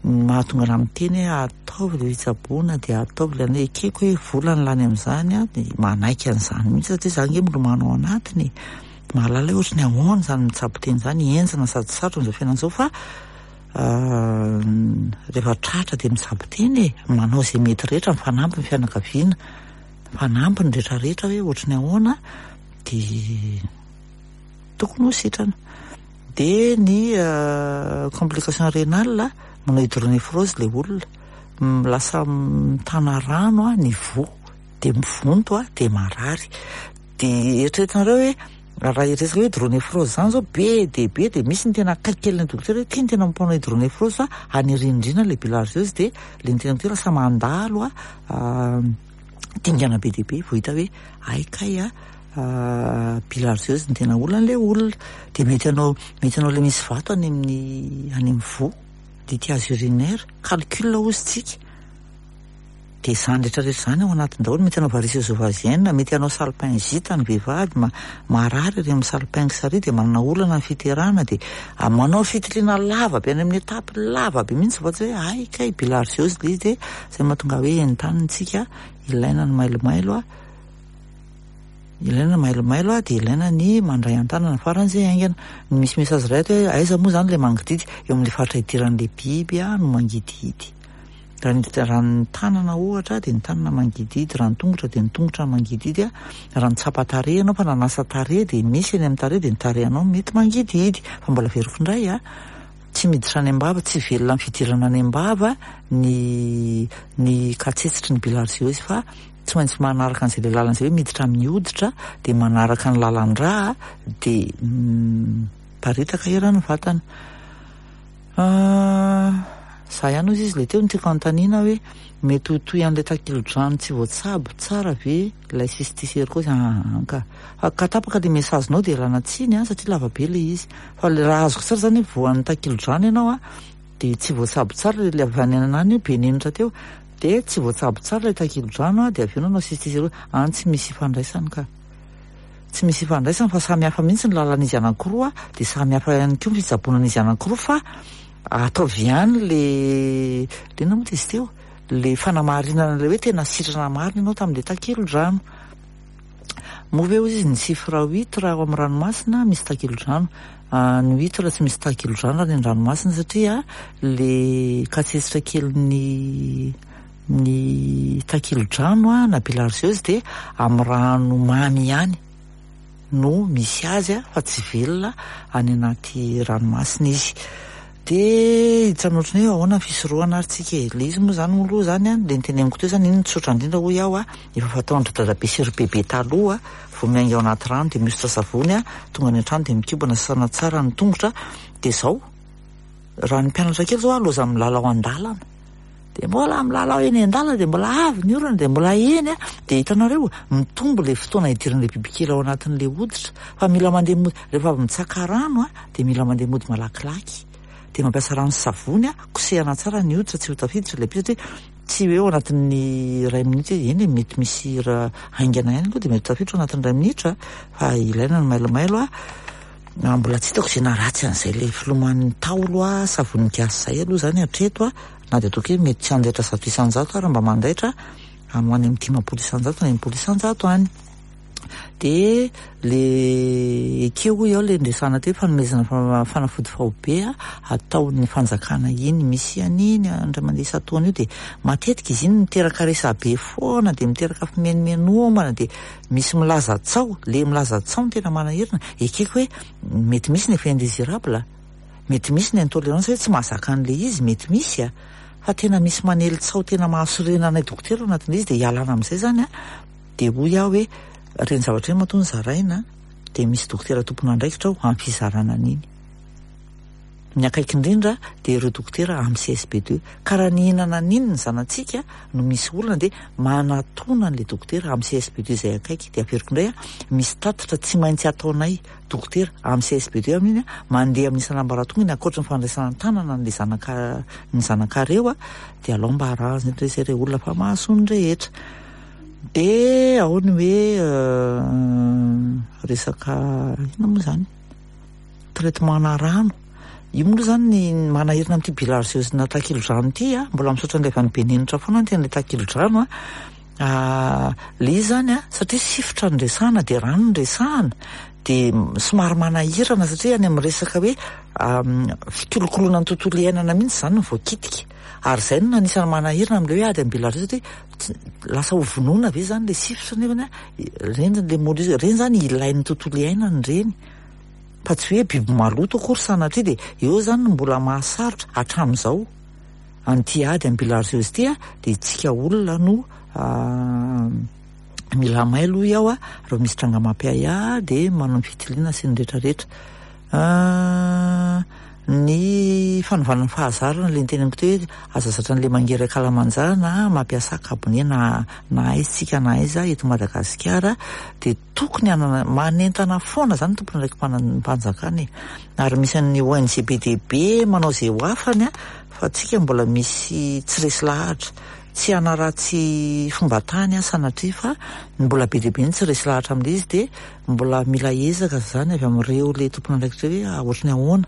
ny mahatonga anah miteny hoe ataovy ilay fitsaboana dia ataovy ilay anona, ekeko hoe vola ny lany amin'izany a dia manaiky an'izany mihitsy satria za ange milomano ao anatiny e, mahalala hoe ohatry ny ahoana izany mitsabo tena izany, henjana sady sarotra amin'izao fiainana izao fa rehefa tratra dia mitsabo tena e, manao izay mety rehetra, mifanampy ny fianakaviana, mifanampy ny rehetra rehetra hoe ohatry ny ahoana dia Tokony ho sitrana. Dia ny complication rénale, manao hydronéphrose ilay olona. Lasa mitana rano ny voa, dia mivonto dia marary. Dia eritreretinareo hoe raha hiresaka hoe hydronéphrose izany izao be dia be dia misy ny tena akaiky kely ny dokotera hoe ity no tena mampanao hydronéphrose fa any aoriana indrindra ilay bilharziose dia ilay niteny dokotera lasa mandalo dingana be dia be vao hita hoe hay kay a. Bilharziose no tena olana ilay olona. Dia mety hanao mety hanao ilay misy vato any amin'ny any amin'ny voa, lithiase urinaire, calcul hozy tsika. Dia izany rehetra rehetra izany ao anatiny daholo, mety hanao varices ovariennes, mety hanao salpingite ny vehivavy, marary ery amin'ny salpinx ary dia manana olana ny fiterahana dia manao fitiliana lava be any amin'ny étape lava be mihitsy vao tsy hoe hay kay bilharziose ilay izy dia izay mahatonga hoe entanina tsika ilaina ny mailomailo a. Ilaina ny mailomailo a, dia ilaina ny mandray an-tanana faran'izay haingana. Ny misy message iray ato hoe aiza moa izany ilay mangidihidy? Eo amin'ilay faritra idiran'ilay biby a no mangidihidy. Raha ny raha ny tanana ohatra dia ny tanana mangidihidy, raha ny tongotra dia ny tongotra mangidihidy a. Raha nitsapa tarehy ianao fa nanasa tarehy dia misy eny amin'ny tarehy dia ny tarehinao mety mangidihidy. Fa mbola averiko indray a, tsy miditra any am-bava, tsy velona amin'ny fidirana any am-bava ny ny katsetsitry ny bilharziose fa Tsy maintsy manaraka an'izay ilay lalana izay hoe miditra amin'ny hoditra dia manaraka ny lalan-drà dia Miparitaka eran'ny vatana. Za ihany hozy izy le teo no tiako anontaniana hoe mety ho toy an'ilay takilodrano tsy voatsabo tsara ve ilay cysticercose? Aa ka. Fa ka tapaka le message-nao dia ialana tsiny an, satria lava be le izy. Fa le raha azoko tsara zany hoe voan'ny takilodrano ianao an, dia tsy voatsabo tsara le avy any anany io be nenitra teo, dia tsy voatsabo tsara ilay takilodrano an, dia avy eo nanao cysticercose. Any tsy misy ifandraisany ka. Tsy misy ifandraisany fa samy hafa mihitsy ny lalan'izy anankiroa dia samy hafa ihany koa ny fitsaboana an'izy anankiroa fa ataovy ihany le le inona moa izy teo le fanamarinana le hoe tena sitrana marina ianao tamin'le takelodrano. Moa ve hozy izy ny chiffre huit raha ao amin'ny ranomasina misy takelodrano? Ny huit raha tsy misy takelodrano any an-dranomasina satria le katsetsitra kelin'ny Ny takilodrano na bilharziose dia amin'ny rano mamy ihany no misy azy fa tsy velona any anaty ranomasina izy. Dia hiditra amin'ny ohatran'ny hoe ahoana ny fisorohana ary tsika e. Ilay izy moa izany moa aloha izany an, ilay noteneniko teo izany iny no tsotra indrindra hoy aho, efa fataon-dry dadabe sy ry bebe taloha, vao miainga ao anaty rano dia mihosotra savony, tonga any an-trano dia mikobana sasana tsara ny tongotra, dia izao. Raha ny mpianatra kely izao aloza milalao an-dalana. Dia mbola milalao eny an-dalana dia mbola avy ny orana dia mbola eny a, dia hitanareo mitombo ilay fotoana hidiran'ilay bibikely ao anatin'ilay hoditra fa mila mandeha mody rehefa avy mitsaka rano a dia mila mandeha mody malakilaky dia mampiasa rano sy savony a, kosehana tsara ny hoditra tsy ho tafiditra ilay biby satria tsy hoe ao anatin'ny iray minitra izy, eny e mety misy raha haingana ihany aloha dia mety tafiditra ao anatin'ny iray minitra fa ilaina ny mailomailo a. Mbola tsy hitako izay naharatsy an'izay ilay filoman'ny Ntaolo a, savony gasy izay aloha izany hatreto a, na dia ataoko hoe mety tsy handaitra 100% ary mba mandaitra any ho any amin'ny 50% na 60% any. Dia le ekeo hoy aho le niresahana teo fanomezana fanafody faobe a, ataon'ny fanjakana iny, misy an'iny indray mandeha isan-taona io dia matetika izy iny miteraka resabe foana dia miteraka fimenomenomana dia Misy milaza tsaho, le milaza tsaho no tena manahirana, ekeko hoe mety misy ny effet indésirable, mety misy ny intolérance hoe tsy mahazaka an'le izy, mety misy a, fa tena misy manely tsaho tena mahasorena anay dokotera ao anatin'le izy dia ialana amin'izay zany a, dia hoy aho hoe ireny zavatra ireny matoa nozaraina dia misy dokotera tompon'andraikitra ao amin'ny fizarana an'iny. Ny akaiky indrindra dia ireo dokotera amin'ny CSB deux. Ka raha nihinana an'iny ny zanatsika no misy olana dia manatona an'ilay dokotera amin'ny CSB deux izay akaiky. Dia averiko indray, misy tatitra tsy maintsy ataonay dokotera amin'ny CSB deux amin'iny, mandeha amin'ny isan'ambaratongany ankoatra ny fandraisana an-tanana an'ilay zanaka ny zanakareo dia alao mba arahina eto izay ireo olona fa mahasoa ny rehetra. Dia ao ny hoe resaka inona moa izany? Traitement ana rano. Io moa aloha izany ny manahirana amin'ity bilharziose na takilodrano ity a, mbola misaotra an'ilay avy any Benenitra foana ny tena ilay takilodrano a. Ilay izy izany a, satria sifotra no resahana dia rano no resahana, dia somary manahirana satria any amin'ny resaka hoe fikolokoloana ny tontolo iainana mihitsy izany no voakitika. Ary izay no anisan'ny manahirana amin'ilay hoe ady amin'ny bilharziose satria lasa ho vonoina ve izany ilay sifotra nefany a, ireny ilay mollusque, ireny izany ilain'ny tontolo iainana ireny. Fa tsy hoe biby maloto akory sanatria dia eo izany no mbola mahasarotra hatramin'izao an'ity ady amin'ny bilharziose ity dia isika olona no mila mailo hoy aho raha misy tranga mampiahiahy dia manao ny fitiliana sy ny rehetra rehetra. Ny fanovana ny fahazarana ilay niteneniko teo hoe aza zatra an'ilay mangery ankalamanjana mampiasa kabone na na aiza tsika na aiza eto Madagasikara dia tokony hanana manentana foana izany ny tompon'andraiki-panjakana e. Ary misy an'ny ONG be dia be manao izay ho afany fa tsika mbola misy tsy resy lahatra. Tsy hanaratsy fomba tany aho sanatria fa mbola be dia be ny tsy resy lahatra amin'ilay izy dia Mbola mila ezaka izany avy amin'ireo le tompon'andraikitra hoe ohatry ny ahoana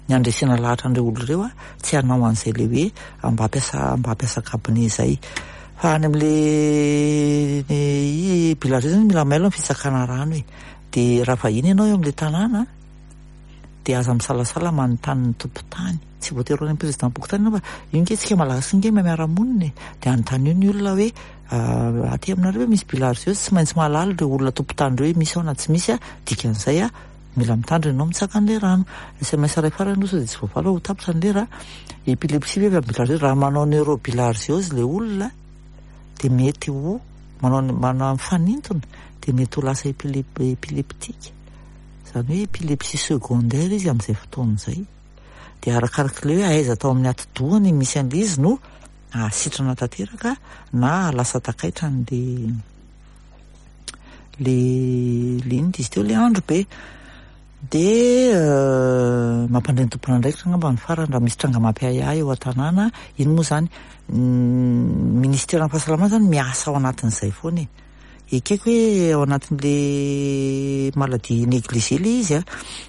ny handresena lahatra an'ireo olona ireo tsy hanao an'izay le hoe mba hampiasa mba hampiasa cabinet izay. Fa any amin'le bilharziose zany mila mailo ny fitsakana rano e. Dia raha vahiny ianao eo amin'ilay tanàna dia aza misalasala manontany ny tompon-tany. Tsy voatery ho any amin'ny président-pokontany ianao fa io ange tsika malagasy ange mahay miara-monina e. Dia anontanio ny olona hoe aty aminareo ve misy bilharziose? Tsy maintsy mahalala ireo olona tompon-tany ireo hoe misy ao na tsy misy, dikan'izay mila mitandrina ianao mitsaka an'ilay rano. Sms iray farany aloha sao dia tsy voavaly fa ho tapitra ny lera. Epilepsie ve avy amin'ny bilharziose? Raha manao neurobilharziose ilay olona dia mety ho manao manao mifanintona dia mety ho lasa epileptique. Izany hoe épilepsie secondaire izy amin'izay fotoana izay. Dia arakarak'ilay hoe aiza tao amin'ny atidohany misy an'ilay izy no hahasitrana tanteraka na hahalasa takaitra an'ilay le le inona izy teo le andro be. Dia mampandre ny tompon'andraikitra angamba ny farany raha misy tranga mampiahiahy eo an-tanàna. Iny moa izany, ny ministeran'ny fahasalamana izany miasa ao anatin'izay foana e. Ekeko hoe ao anatin'le maladie négligée le izy a,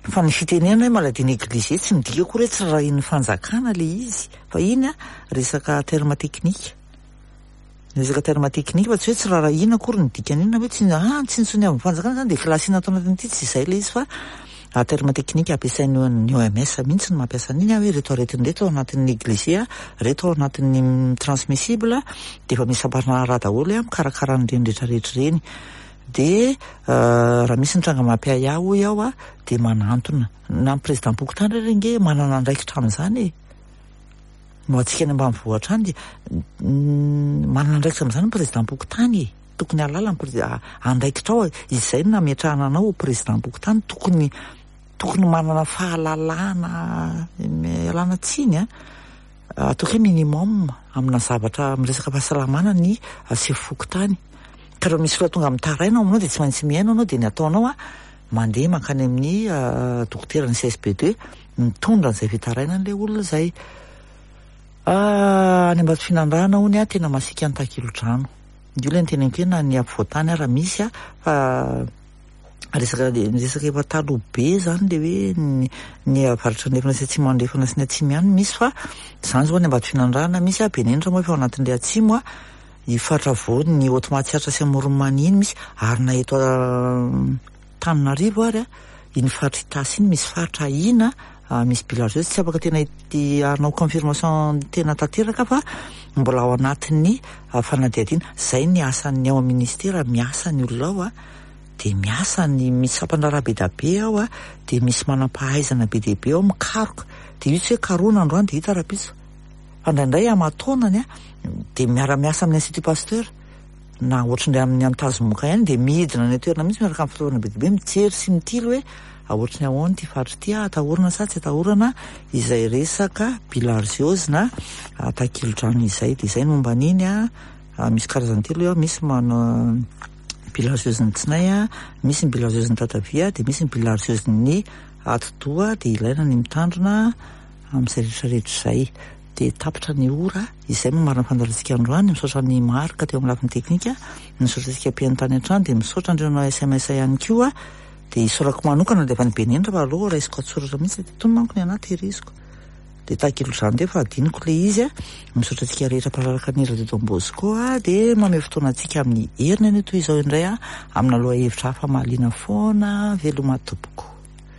fa ny fitenenana hoe maladie négligée tsy midika akory hoe tsy rarahian'ny fanjakana le izy, fa iny a resaka terme technique, resaka terme technique fa tsy hoe tsy rarahiana akory ny dikan'iny na hoe tsy ah tsinontsinoavin'ny fanjakana zany de classena ato anatin'ity, tsy izay le izy fa terme technique ampiasain'ny OMS mihitsy no mampiasa an'iny hoe reto aretina reto ao anatin'ny négligé, reto ao anatin'ny transmissible, dia efa misy sampandraharaha daholo mikarakara an'ireny rehetrarehetra ireny. Dia raha misy ny tranga mampiahiahy hoy aho dia manantona. Na ny président-pokontany ary ange manana andraikitra amin'izany e. No antsika any ambanivohitra any dia manana andraikitra amin'izany ny président-pokontany e. Tokony hahalala ny président, andraikitra ao, izay no nametrahana anao ho président-pokontany, tokony tokony manana fahalalana, ialana tsiny an, ataoko hoe minimum amina zavatra amin'ny resaka fahasalamana ny sefo fokontany. Ka raha misy olona tonga mitaraina ao aminao dia tsy maintsy mihaino anao, dia ny ataonao an, mandeha mankany amin'ny dokoteran'ny CSB2 mitondra an'izay fitarainan'ilay olona izay. Any Ambatofinandrahana hono an, tena masiaka ny takilodrano. Io ilay noteneniko hoe na ny afovoan-tany ara misy an, fa resaka resaka efa taloha be zany le hoe ny ny avaratra andrefana sy atsimo andrefana sy ny atsimo ihany misy fa zany zao any Ambatofinandrahana misy a, Benenitra moa efa ao anatin'le atsimo a, i faritra afovoany ny Haute Matsiatra sy Amoron'i Mania iny misy, ary na eto Antananarivo ary a, iny faritra Itasy iny misy faritra ahiana misy bilharziose, tsy afaka tena hanao confirmation tena tanteraka fa mbola ao anatin'ny fanadihadiana. Zay ny asan'ny ao amin'ny ministera, miasa ny olona ao a, dia miasa ny, misy sampan-draharaha be dia be ao a, dia misy manam-pahaizana be dia be ao mikaroka, dia io tsy hoe karohina androany dia hita rahampitso, fa indraindray aman-taonany a, dia miara-miasa amin'ny Institut Pasteur na ohatr'indray amin'ny Antazomoka ihany dia midina any an-toerana mihitsy miaraka amin'ny fitaovana be dia be mijery sy mitily hoe ohatry ny ahoana ity faritra ity, atahorana sa tsy atahorana izay resaka bilharziose na takilodrano izay. Dia izay ny momba an'iny a, misy karazany telo eo, misy manao bilharziose ny tsinay a, misy ny bilharziose ny tatavia, dia misy ny bilharziose ny atidoha, dia ilaina ny mitandrina amin'izay rehetra rehetra izay. Dia tapitra ny ora, izay no marina fandalintsika androany, misaotra an'i Marc teo amin'ny lafiny teknika, misaotra antsika mpihaino tany an-trano, dia misaotra an'ireo nanao sms ihany koa, dia isaorako manokana ilay avy any Benenitra fa aleo raisiko an-tsoratra mihitsy, itony manko ny anah tehiriziko. Dia tahaka izany indray fa adinoko ilay izy a. Misaotra antsika rehetra mpanaraka ny Radio Don Bosco a, dia mamehy fotoana antsika amin'ny heriny anio toy izao indray a, amina lohahevitra hafa mahaliana foana. Veloma tompoko.